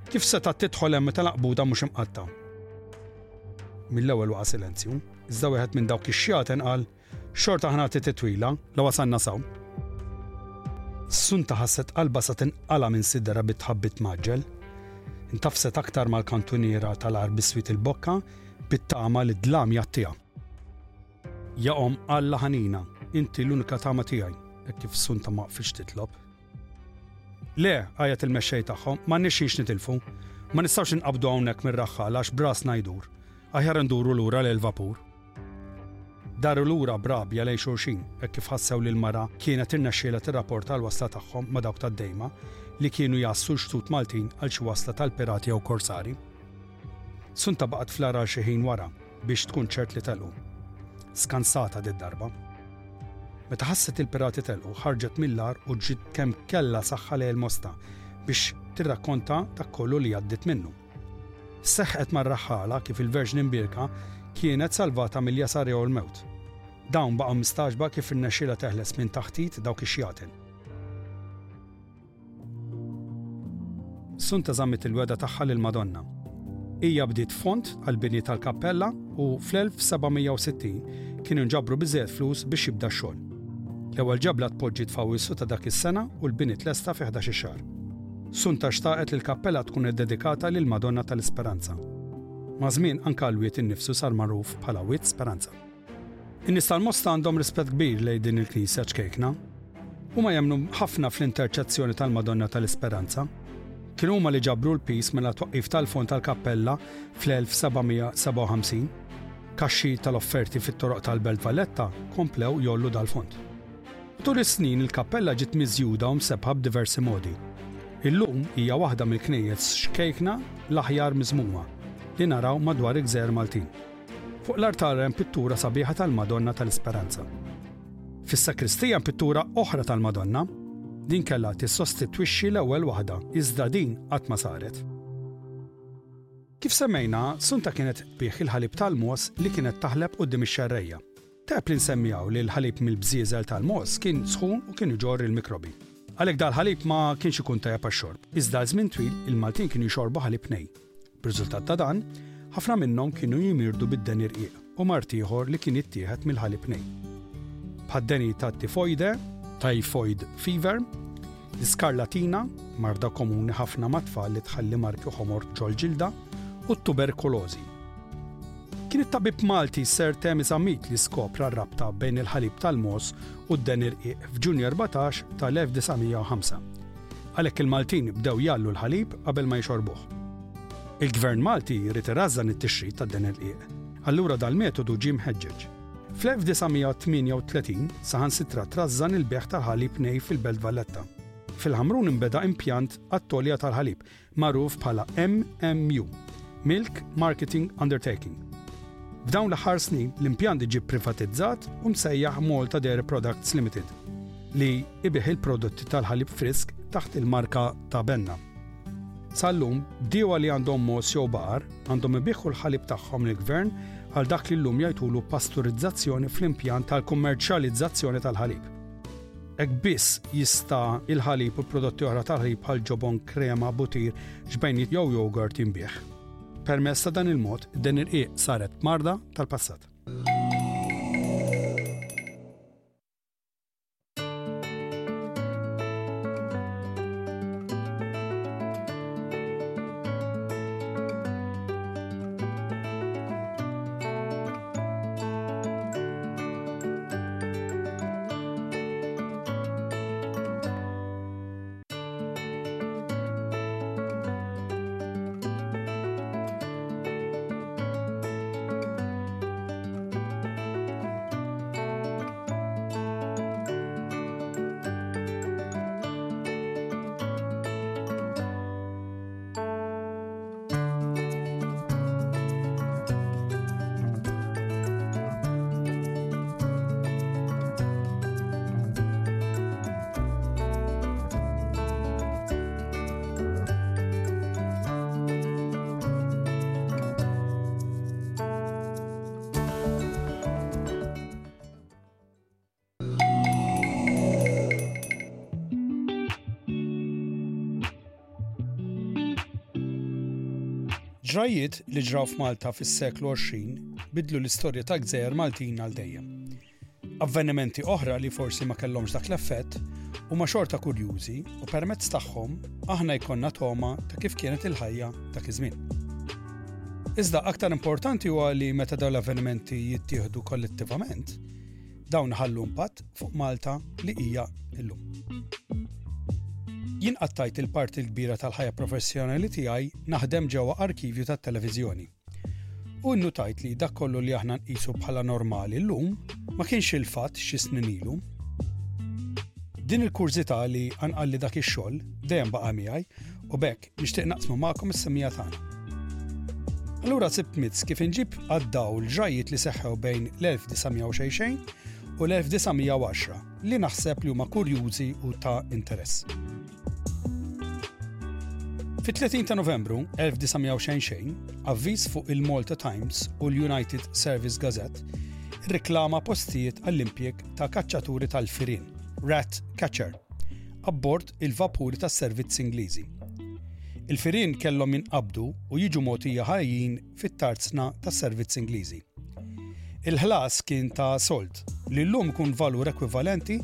C: Kif setgħet tidħol hemm meta l-għanqbuta mhux imqattgħa? Mill-ewwel waqa' silenzju, iżda wieħed minn dawk ix-xjaten qal, Xorta ħa nagħti titwila, la wasalna s'hawn. Sunta ħasset qalbha sa tinqala' minn siderha bit-tħabbit mgħaġġel. Intafset aktar mal-kantuniera tal-għar biswit il-bokka bit-tama li d-dlam jgħattiha. Ja Omm Alla ħanina, inti l-unika tama tiegħi, hekk kif Sunta ma waqfitx titlob. Le, għajjat il-mexxej tagħhom, m'għandniex xi nitilfu. Ma nistgħux inqabdu hawnhekk mir-raħħala għax b'rasna jdur. Aħjar induru lura lejn il-vapur. Daru lura b'rabja lejn xulxin hekk kif ħassew li l-mara kienet irnexxielha tirrapporta l-wasla tagħhom ma' dawk tad-Dejma li kienu jgħassu l-xtut Maltin għal xi wasla tal-pirati jew korsari. Sunta baqgħet fl-għar għal xi ħin wara biex tkun ċert li telqu. Skansata did-darba. Meta ħasset il-pirati telqu, ħarġet mill-għar u ġriet kemm kellha saħħa lejn il-Mosta biex tirrakkonta dak kollu li għaddiet minnu. Seħħet mar-raħħala kif il-Verġni Mbierka kienet salvata mill-jasar jew il-mewt. Dawn baqgħu mistagħġba kif irnexxielha teħles minn taħt id dawk ix-xjaten. Sunta żammet il-wegħda tagħha lill-Madonna. Hija bdiet fond għall-bini tal-kappella u fl-1760 kienu nġabru biżżejjed flus biex jibda x-xogħol. L-ewwel ġebla tpoġġiet f'Awwissu ta' dak is-sena u l-bini tlesta fi ħdax-il xahar. Sunta xtaqet li l-kappella tkun iddedikata lill-Madonna tal-Isperanza. Maż-żmien anke l-wied innifsu sar magħruf bħala Wied Speranza. In-nies tal-Mosta għandhom rispett kbir lejn din il-knisja ċkejkna. Huma jemmnu ħafna fl-interċezzjoni tal-Madonna tal-Isperanza. Kienu huma li ġabru l-piż mela twaqqif tal-fond tal-kappella fl-1757. Kaxxi tal-offerti fit-toroq tal-Belt Valletta komplew jgħollu dal-fond. Tul is-snin il-kappella ġiet miżjuda u msebbħa b'diversi modi. Illum hija waħda mill-knejjes xkejkna l-aħjar miżmuma li naraw madwar il-gżejjer Maltin. Fuq l-artal hemm pittura sabiħa tal-Madonna tal-Isperanza. Fis-sakristija hemm pittura oħra tal-Madonna. Din kellha tissostitwixxi l-ewwel waħda iżda din qatt ma saret. Kif semmejna, Sunta kienet tbigħ il-ħalib tal-mogħoż li kienet taħleb quddiem ix-xerrejja. Tajjeb li nsemmi hawn li l-ħalib mill-bżieżel tal-mogħoż kien sħun u kien iġorr il-mikrobi. Għalhekk dal-ħalib ma kienx ikun tajjeb għax-xorb. Iżda għal żmien twil il-Maltin kienu jxorbu ħalib nej. B'riżultat ta' dan, ħafna minnhom kienu jimirdu bid-deni rqiq u mard ieħor li kien jittieħed mill-ħalib nej. Bħad-deni tat-tifojde, typhoid fever, l-iskarlatina, marda komuni ħafna mat-tfal li tħalli marki ħomor ġol-ġilda, u t-tuberkulożi. Kien it-tabib Malti Sir Temi Zammit li skopra r-rabta bejn il-ħalib tal-mogħoż u d-deni rqiq f'Ġunju 14 tal-1905. Għalhekk il-Maltin bdew jgħallu l-ħalib qabel ma jixorbuh. Il-Gvern Malti ried irażżan it-tixrid tad-deni rqiq, allura dal-metodu ġie mħeġġeġ. Fl-1938 saħansitra trażżan il-bejgħ tal-ħalib nej fil-Belt Valletta. Fil-Ħamrun inbeda impjant għat-togħlija tal-ħalib magħruf bħala MMU, Milk Marketing Undertaking. F'dawn l-aħħar snin, l-impjant ġie privatizzat u msejjaħ Malta Dairy Products Limited, li ibigħ il-prodotti tal-ħalib frisk taħt il-marka ta' Benna. Sal-lum, bdiewa li għandhom mogħoż jew baqar għandhom ibigħu l-ħalib tagħhom lill-Gvern għal dak li llum jgħidulu pasturizzazzjoni fl-impjant tal-kummerċjalizzazzjoni tal-ħalib. Hekk biss jista' il-ħalib u prodotti oħra tal-ħalib bħal ġobon, krema, butir, ġbejniet jew jogurt jinbiegħ. Permezz ta' dan il-mod, din ir-rqiq saret marda tal-passat. Ġrajjiet li ġraw f'Malta fis-seklu 20 bidlu l-istorja tal-gżejjer Maltin għal dejjem. Avvenimenti oħra li forsi ma kellhomx dak l-effett huma xorta kurjużi u permezz tagħhom aħna jkollna togħma ta' kif kienet il-ħajja dak iż-żmien. Iżda aktar importanti huwa li meta dawn l-avvenimenti jittieħdu kollettivament, dawn iħallu impatt fuq Malta li hija llum. Jien qattajt il-parti l-kbira tal-ħajja professjonali tiegħi naħdem ġewwa arkivju tat-televiżjoni. U nnutajt li dak kollu li aħna nqisu bħala normali llum ma kienx il-fatt xi snin ilu. Din il-kurżità li qanqalli dak ix-xogħol dejjem baqa' miegħi u b'hekk nixtieq naqsmu magħkom is-semija tagħna. Allura sibt mizz kif inġib għad-dawl ġrajjiet li seħħew bejn l-1900 u l-1910 li naħseb li huma kurjużi u ta' interess. Fit-30 ta' Novembru 1900 avviż fuq il-Malta Times u l-United Service Gazette irriklama postijiet għall-impjieg ta' kaċċaturi tal-firien, rat catcher, abbord il-vapuri tas-servizz Ingliżi. Il-firien kellhom jinqabdu u jiġu mogħtija ħajjin fit-tarzna tas-servizz Ingliżi. Il-ħlas kien ta' sold, li llum ikun valur ekwivalenti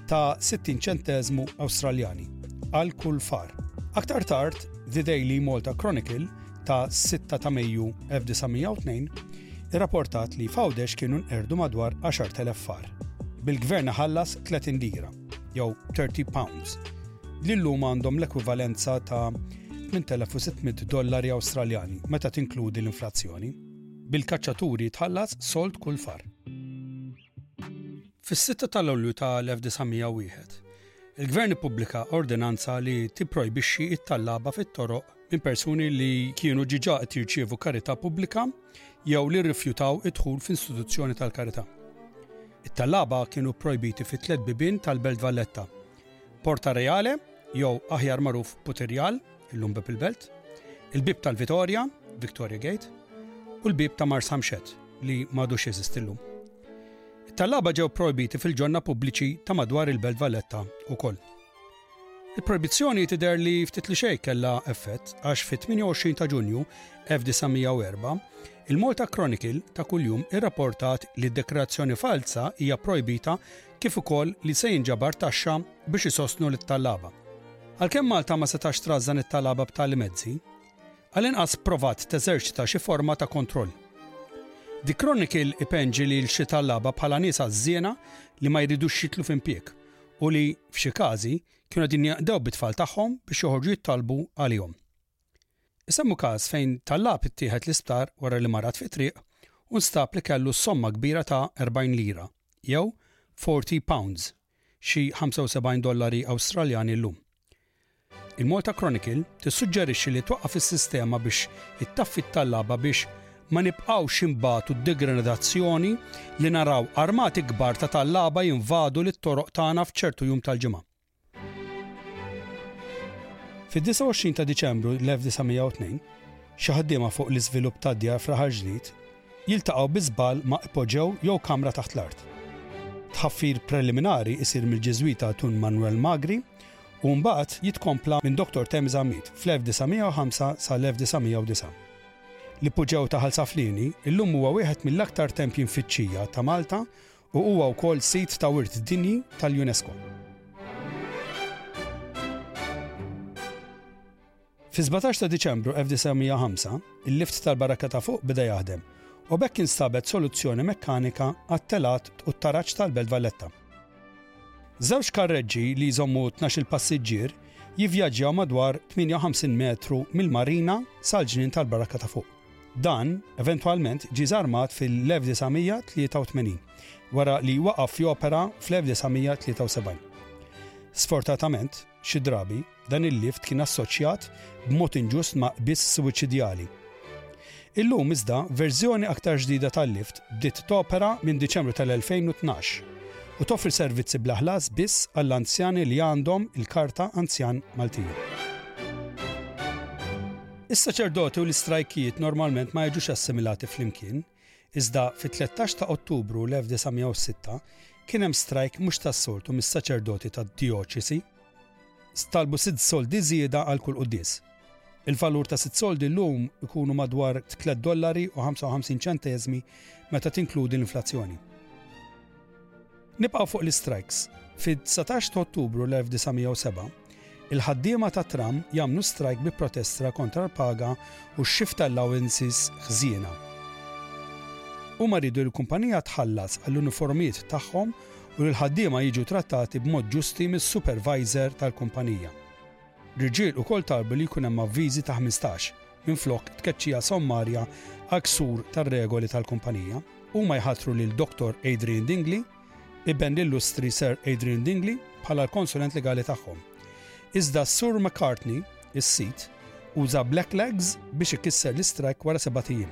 C: ta' 60 ċenteżmu Awstraljani għal kull far. Aktar tard, The Daily Malta Chronicle ta' 6 ta' Mejju 1902 irrapportat li f'Għawdex kienu nqerdu madwar 10,000 far, bil-gvern iħallas 30 lira, jew 30 pounds, li llum għandhom l-ekwivalenza ta' 8,600 dollari Awstraljani meta tinkludi l-inflazzjoni. Bil-kaċċaturi jitħallas sold kull far. Fis-6 ta' Lulju ta' l-1901, il-Gvern ippubblika ordinanza li tipprojbixxi t-tallaba fit-toroq minn persuni li kienu ġiġa qed jirċievu karità pubblika jew li rrifjutaw id-dħul f'istituzzjoni tal-karità. It-tallaba kienu pprojbiti fi tliet bibien tal-Belt Valletta, Porta Reale, jew aħjar magħruf Putirjal, illum Bieb il-Belt, il-Bieb tal-Vitorja, Victoria Gate, u l-Bieb ta' Marsamxett li m'għadux jeżisti llum. It-tallaba ġew projbiti fil-ġonna pubbliċi ta' madwar il-Belt Valletta wkoll. Il-projbizzjoni tidher li ftit li xejn kellha effett għax fit-28 ta' Ġunju 1904 il-Malta Chronicle ta' kuljum irrapportat li d-dekrazzjoni falza hija projbita kif ukoll li se jinġabar taxxa biex isostnu lit-tallaba. Għalkemm Malta ma setax trażżan it-talaba b'tali mezzi, għall-inqas provat teżerċita xi forma ta' kontroll. The Chronicle ipenġi lil xi tallaba bħala nies għażżiena li ma jridux jidħlu f'impjieg u li, f'xi każi, kienu qegħdin jaqdew bit-tfal tagħhom biex joħorġu jittalbu għalihom. Isemmu każ fejn tallab ittieħed l-isptar wara li marad fit-triq u nstab li kellu somma kbira ta' 40 lira, jew 40 pounds, xi 75 dollari Awstraljani llum. Il-Malta Chronicle tissuġġerixxi li twaqqaf is-sistema biex ittaffi t-tallaba biex ma nibqgħux inbatu d-degradazzjoni li naraw armati kbar ta' tallaba jinvadu lit-toroq tagħna f'ċertu jum tal-ġimgħa. Fid-29 ta' Diċembru l-1902, xi ħaddiema fuq l-iżvilupp tad-djar f'Raħal Ġdid jiltaqgħu bi żball ma' ipoġew jew kamra taħt l-art. Tħaffir preliminari jsir mill-Ġiżwita Dun Manuel Magri u mbagħad jitkompla minn Dottor Tem Zammit fl-1905 sal-1909. L-ipoġew ta' Ħal Saflieni illum huwa wieħed mill-aktar tempji mfittxija ta' Malta u huwa wkoll Sit ta' Wirt Dinji tal-UNESCO. Fis-17 ta' Diċembru 1905, il-lift tal-Barrakka ta' Fuq beda jaħdem u b'hekk instabet soluzzjoni mekkanika għat-telgħat u t-taraġ tal-Belt Valletta. Żewġ karreġġi li jżommu tnax-il passiġġier jivvjaġġjaw madwar 58 metru mill-marina sal-ġnien tal-Barrakka ta' Fuq. Dan eventwalment ġie żarmat fil-1983 wara li waqaf jopera fl-1973. Sfortatament, xi drabi, dan il-lift kien assoċjat b'mod inġust ma' qbiż suwiċidjali. Illum iżda, verżjoni aktar ġdida tal-lift bdiet topera minn Diċembru tal-2012 u toffri servizzi bla ħlas biss għall-anzjani li għandhom il-Karta Anzjan Maltija. Is-saċerdoti u l-istrajkijiet normalment ma jiġux assimilati flimkien, iżda fit-13 ta' Ottubru l-1906 kien hemm strajk mhux tas-soltu mis-saċerdoti tad-djoċesi. Talbu sitt soldi żieda għal kull quddies. Il-valur ta' sitt soldi llum ikunu madwar 3 dollari u 55 ċenteżmi meta tinkludi l-inflazzjoni. Nibqgħu fuq l-istrajks. Fid-19 ta' Ottubru l-1907, il-ħaddiema tat-tram jagħmlu strajk bi protestra kontra l-paga u x-shift allowances ħżiena. Huma riedu li l-kumpanija tħallas għall-uniformijiet tagħhom u li l-ħaddiema jiġu trattati b'mod ġusti mis-supervisor tal-kumpanija. L-irġiel ukoll talbu li jkun hemm avviżi ta' 15 minflok tkeċċija sommarja għal ksur tar-regoli tal-kumpanija. Huma jħatru lil Dottor Adrian Dingli, iben l-illustri Sir Adrian Dingli, bħala l-konsulent legali tagħhom. Iżda s-Sur McCartney, is-sid, uża blacklegs biex ikisser l-istrajk wara sebat ijiem.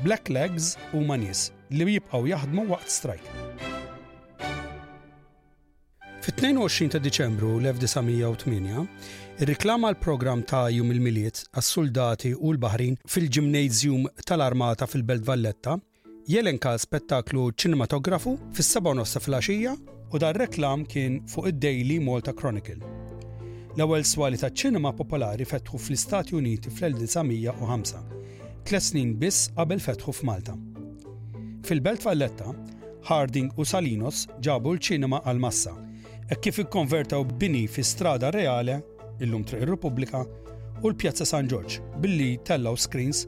C: Blacklegs huma nies li jibqgħu jaħdmu waqt strajk. Fit-22 ta' Diċembru 1908, irriklama l-programm ta' Jum il-Milied għas-suldati u l-baħrin fil-Gymnasium tal-Armata fil-Belt Valletta, jelenka spettaklu ċinematografu fis-sebgħa u nofs ta' filgħaxija u dan reklam kien fuq id-Daily Malta Chronicle. L-ewwel swali taċ-ċinema popolari fetħu fl-Istati Uniti fl-1905, tliet snin biss qabel fetħu f'Malta. Fil-Belt Valletta, Harding u Salinos ġabu l-ċinema għall-massa, hekk kif ikkonvertew bini fi Strada Reale, illum Triq ir-Repubblika, u l-Pjazza San Ġorġ billi tellgħu screens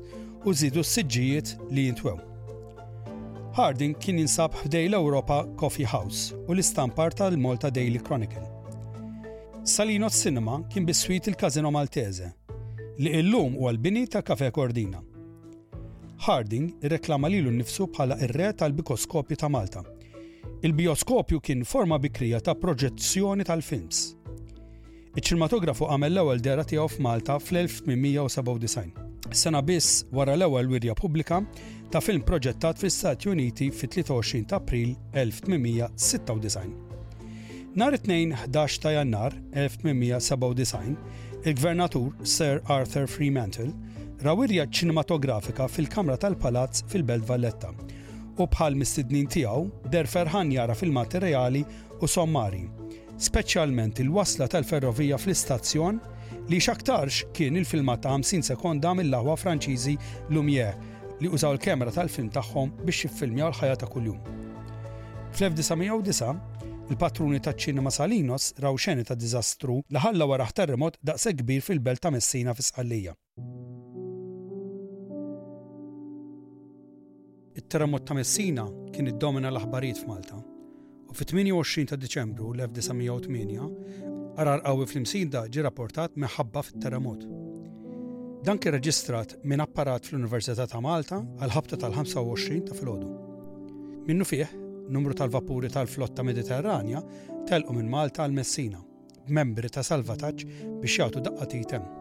C: u żiedu s-siġġijiet li jintwew. Harding kien jinsab ħdej l-Europa Coffee House u l-istampar tal-Malta Daily Chronicle. Salinos Cinema kien biswit il-Casino Maltese, li illum huwa l-bini ta' Cafe Cordina. Harding irreklama lilu nnifsu bħala r-re tal-bikoskopju ta' Malta. Il-bijoskopju kien forma bikrija ta' proġezzjoni tal-films. Iċ-ċinematografu għamel l-ewwel dehra tiegħu f'Malta fl-1897, sena biss wara l-ewwel wirja pubblika ta' film proġettat fl-Istati Uniti fit-23 ta' April 1896. Nhar it-Tnejn 11 ta' Jannar 1897, il-Gvernatur Sir Arthur Fremantle ra wirja ċinematografika fil-Kamra tal-Palazz fil-Belt Valletta u bħal mistednin tiegħu deher ferħan jara filmati reali u sommari, speċjalment il-wasla tal-ferrovija fl-istazzjon li x'aktarx kien il-filmat ta' 50 sekonda mill-aħwa Franċiżi Lumière li użaw il-kamera tal-film tagħhom biex jiffilmjaw l-ħajja ta' kuljum. Fl-1909, il-patruni taċ-ċinema Salinos raw xeni ta' diżastru li ħalla warah terremot daqshekk kbir fil-belt ta' Messina fi Sqallija. It-terremot ta' Messina kien iddomina l-aħbarijiet f'Malta u fit-28 ta' Diċembru l-1908 għargħar qawwi fl-Imsida ġie rapportat minħabba fit-terremot. Dan kien reġistrat minn apparat fl-Università ta' Malta għall-ħabta tal-25 ta' filgħodu. Minnufih, numru tal-vapuri tal-flotta Mediterranja telqu minn Malta għal Messina b'membri ta' salvataġġ biex jagħtu daqqa t'id hemm.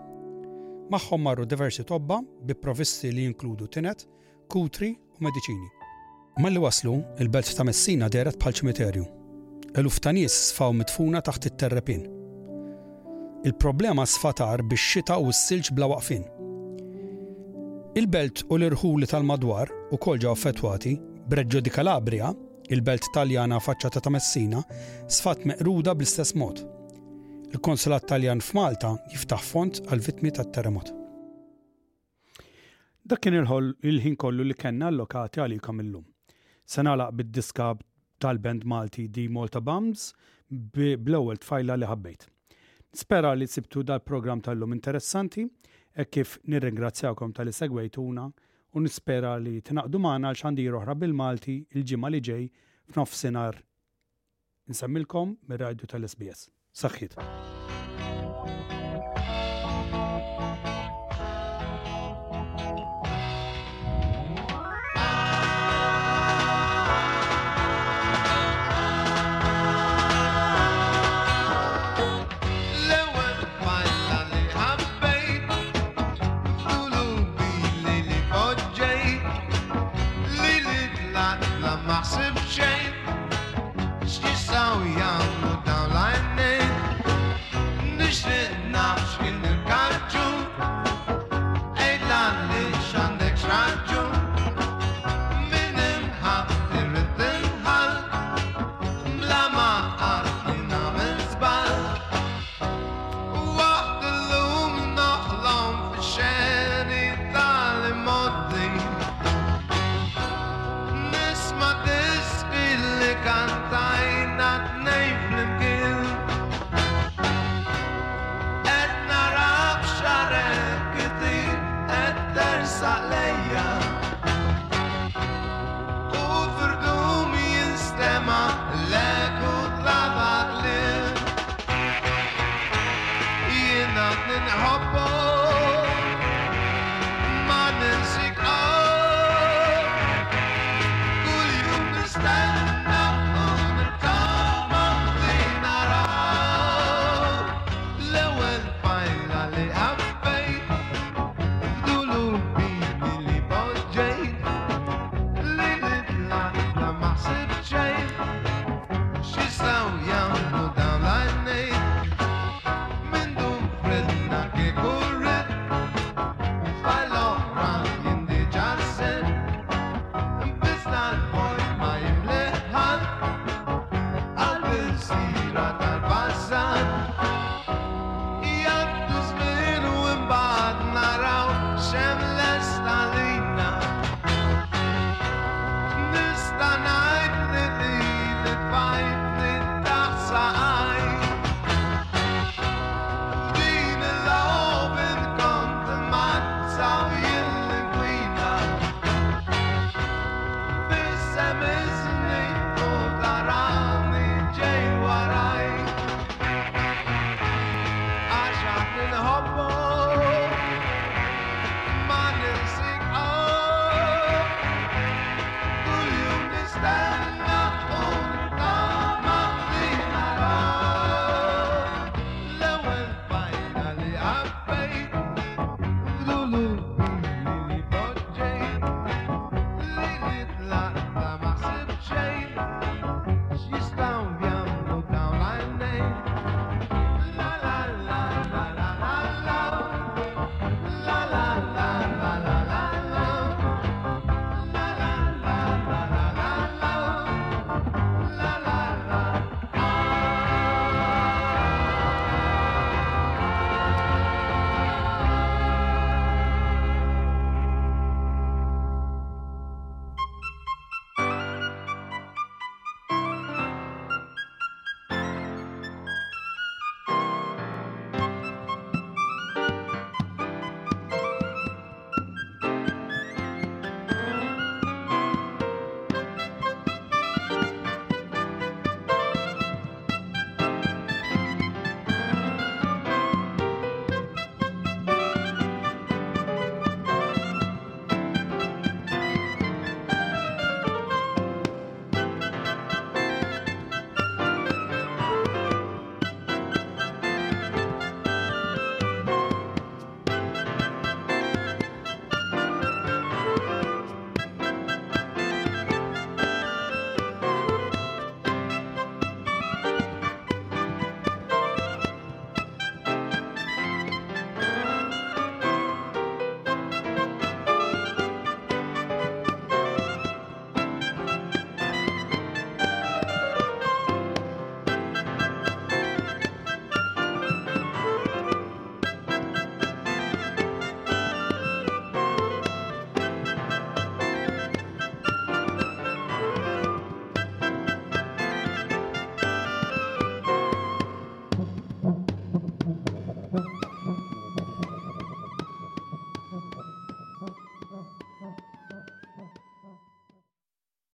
C: Magħhom marru diversi tobba bi provvisti li jinkludu tined, kutri u mediċini. Malli waslu, il-belt ta' Messina dehret bħal ċimiterju. Eluf ta' nies sfaw midfuna taħt it-terrepien. Il-problema sfat agħar bix-xita u s-silġ bla waqfien. Il-belt u l-irħuli tal-madwar ukoll ġew affettwati, b'Reggio di Calabria, il-belt Taljana faċċata ta' Messina, sfat meqruda bl-istess mod. Il-Konsulat Taljan f'Malta jiftaħ fond għall-vittmi tat-terremot. Dak kien il-ħin kollu li kellna allokati għalikom illum. Se nagħlaq bid-diska tal-band Malti The Malta Bums bl-ewwel tfajla li ħabbejt. Nispera li sibtu dal-programm tal-lum interessanti hekk kif nirringrazzjakom talli segwejtuna u nispera li tingħaqdu magħna għal xandir oħra bil-Malti l-ġimgħa li ġej f'nofsinhar Insemmilkom mir-radju tal-SBS. Saħħiet.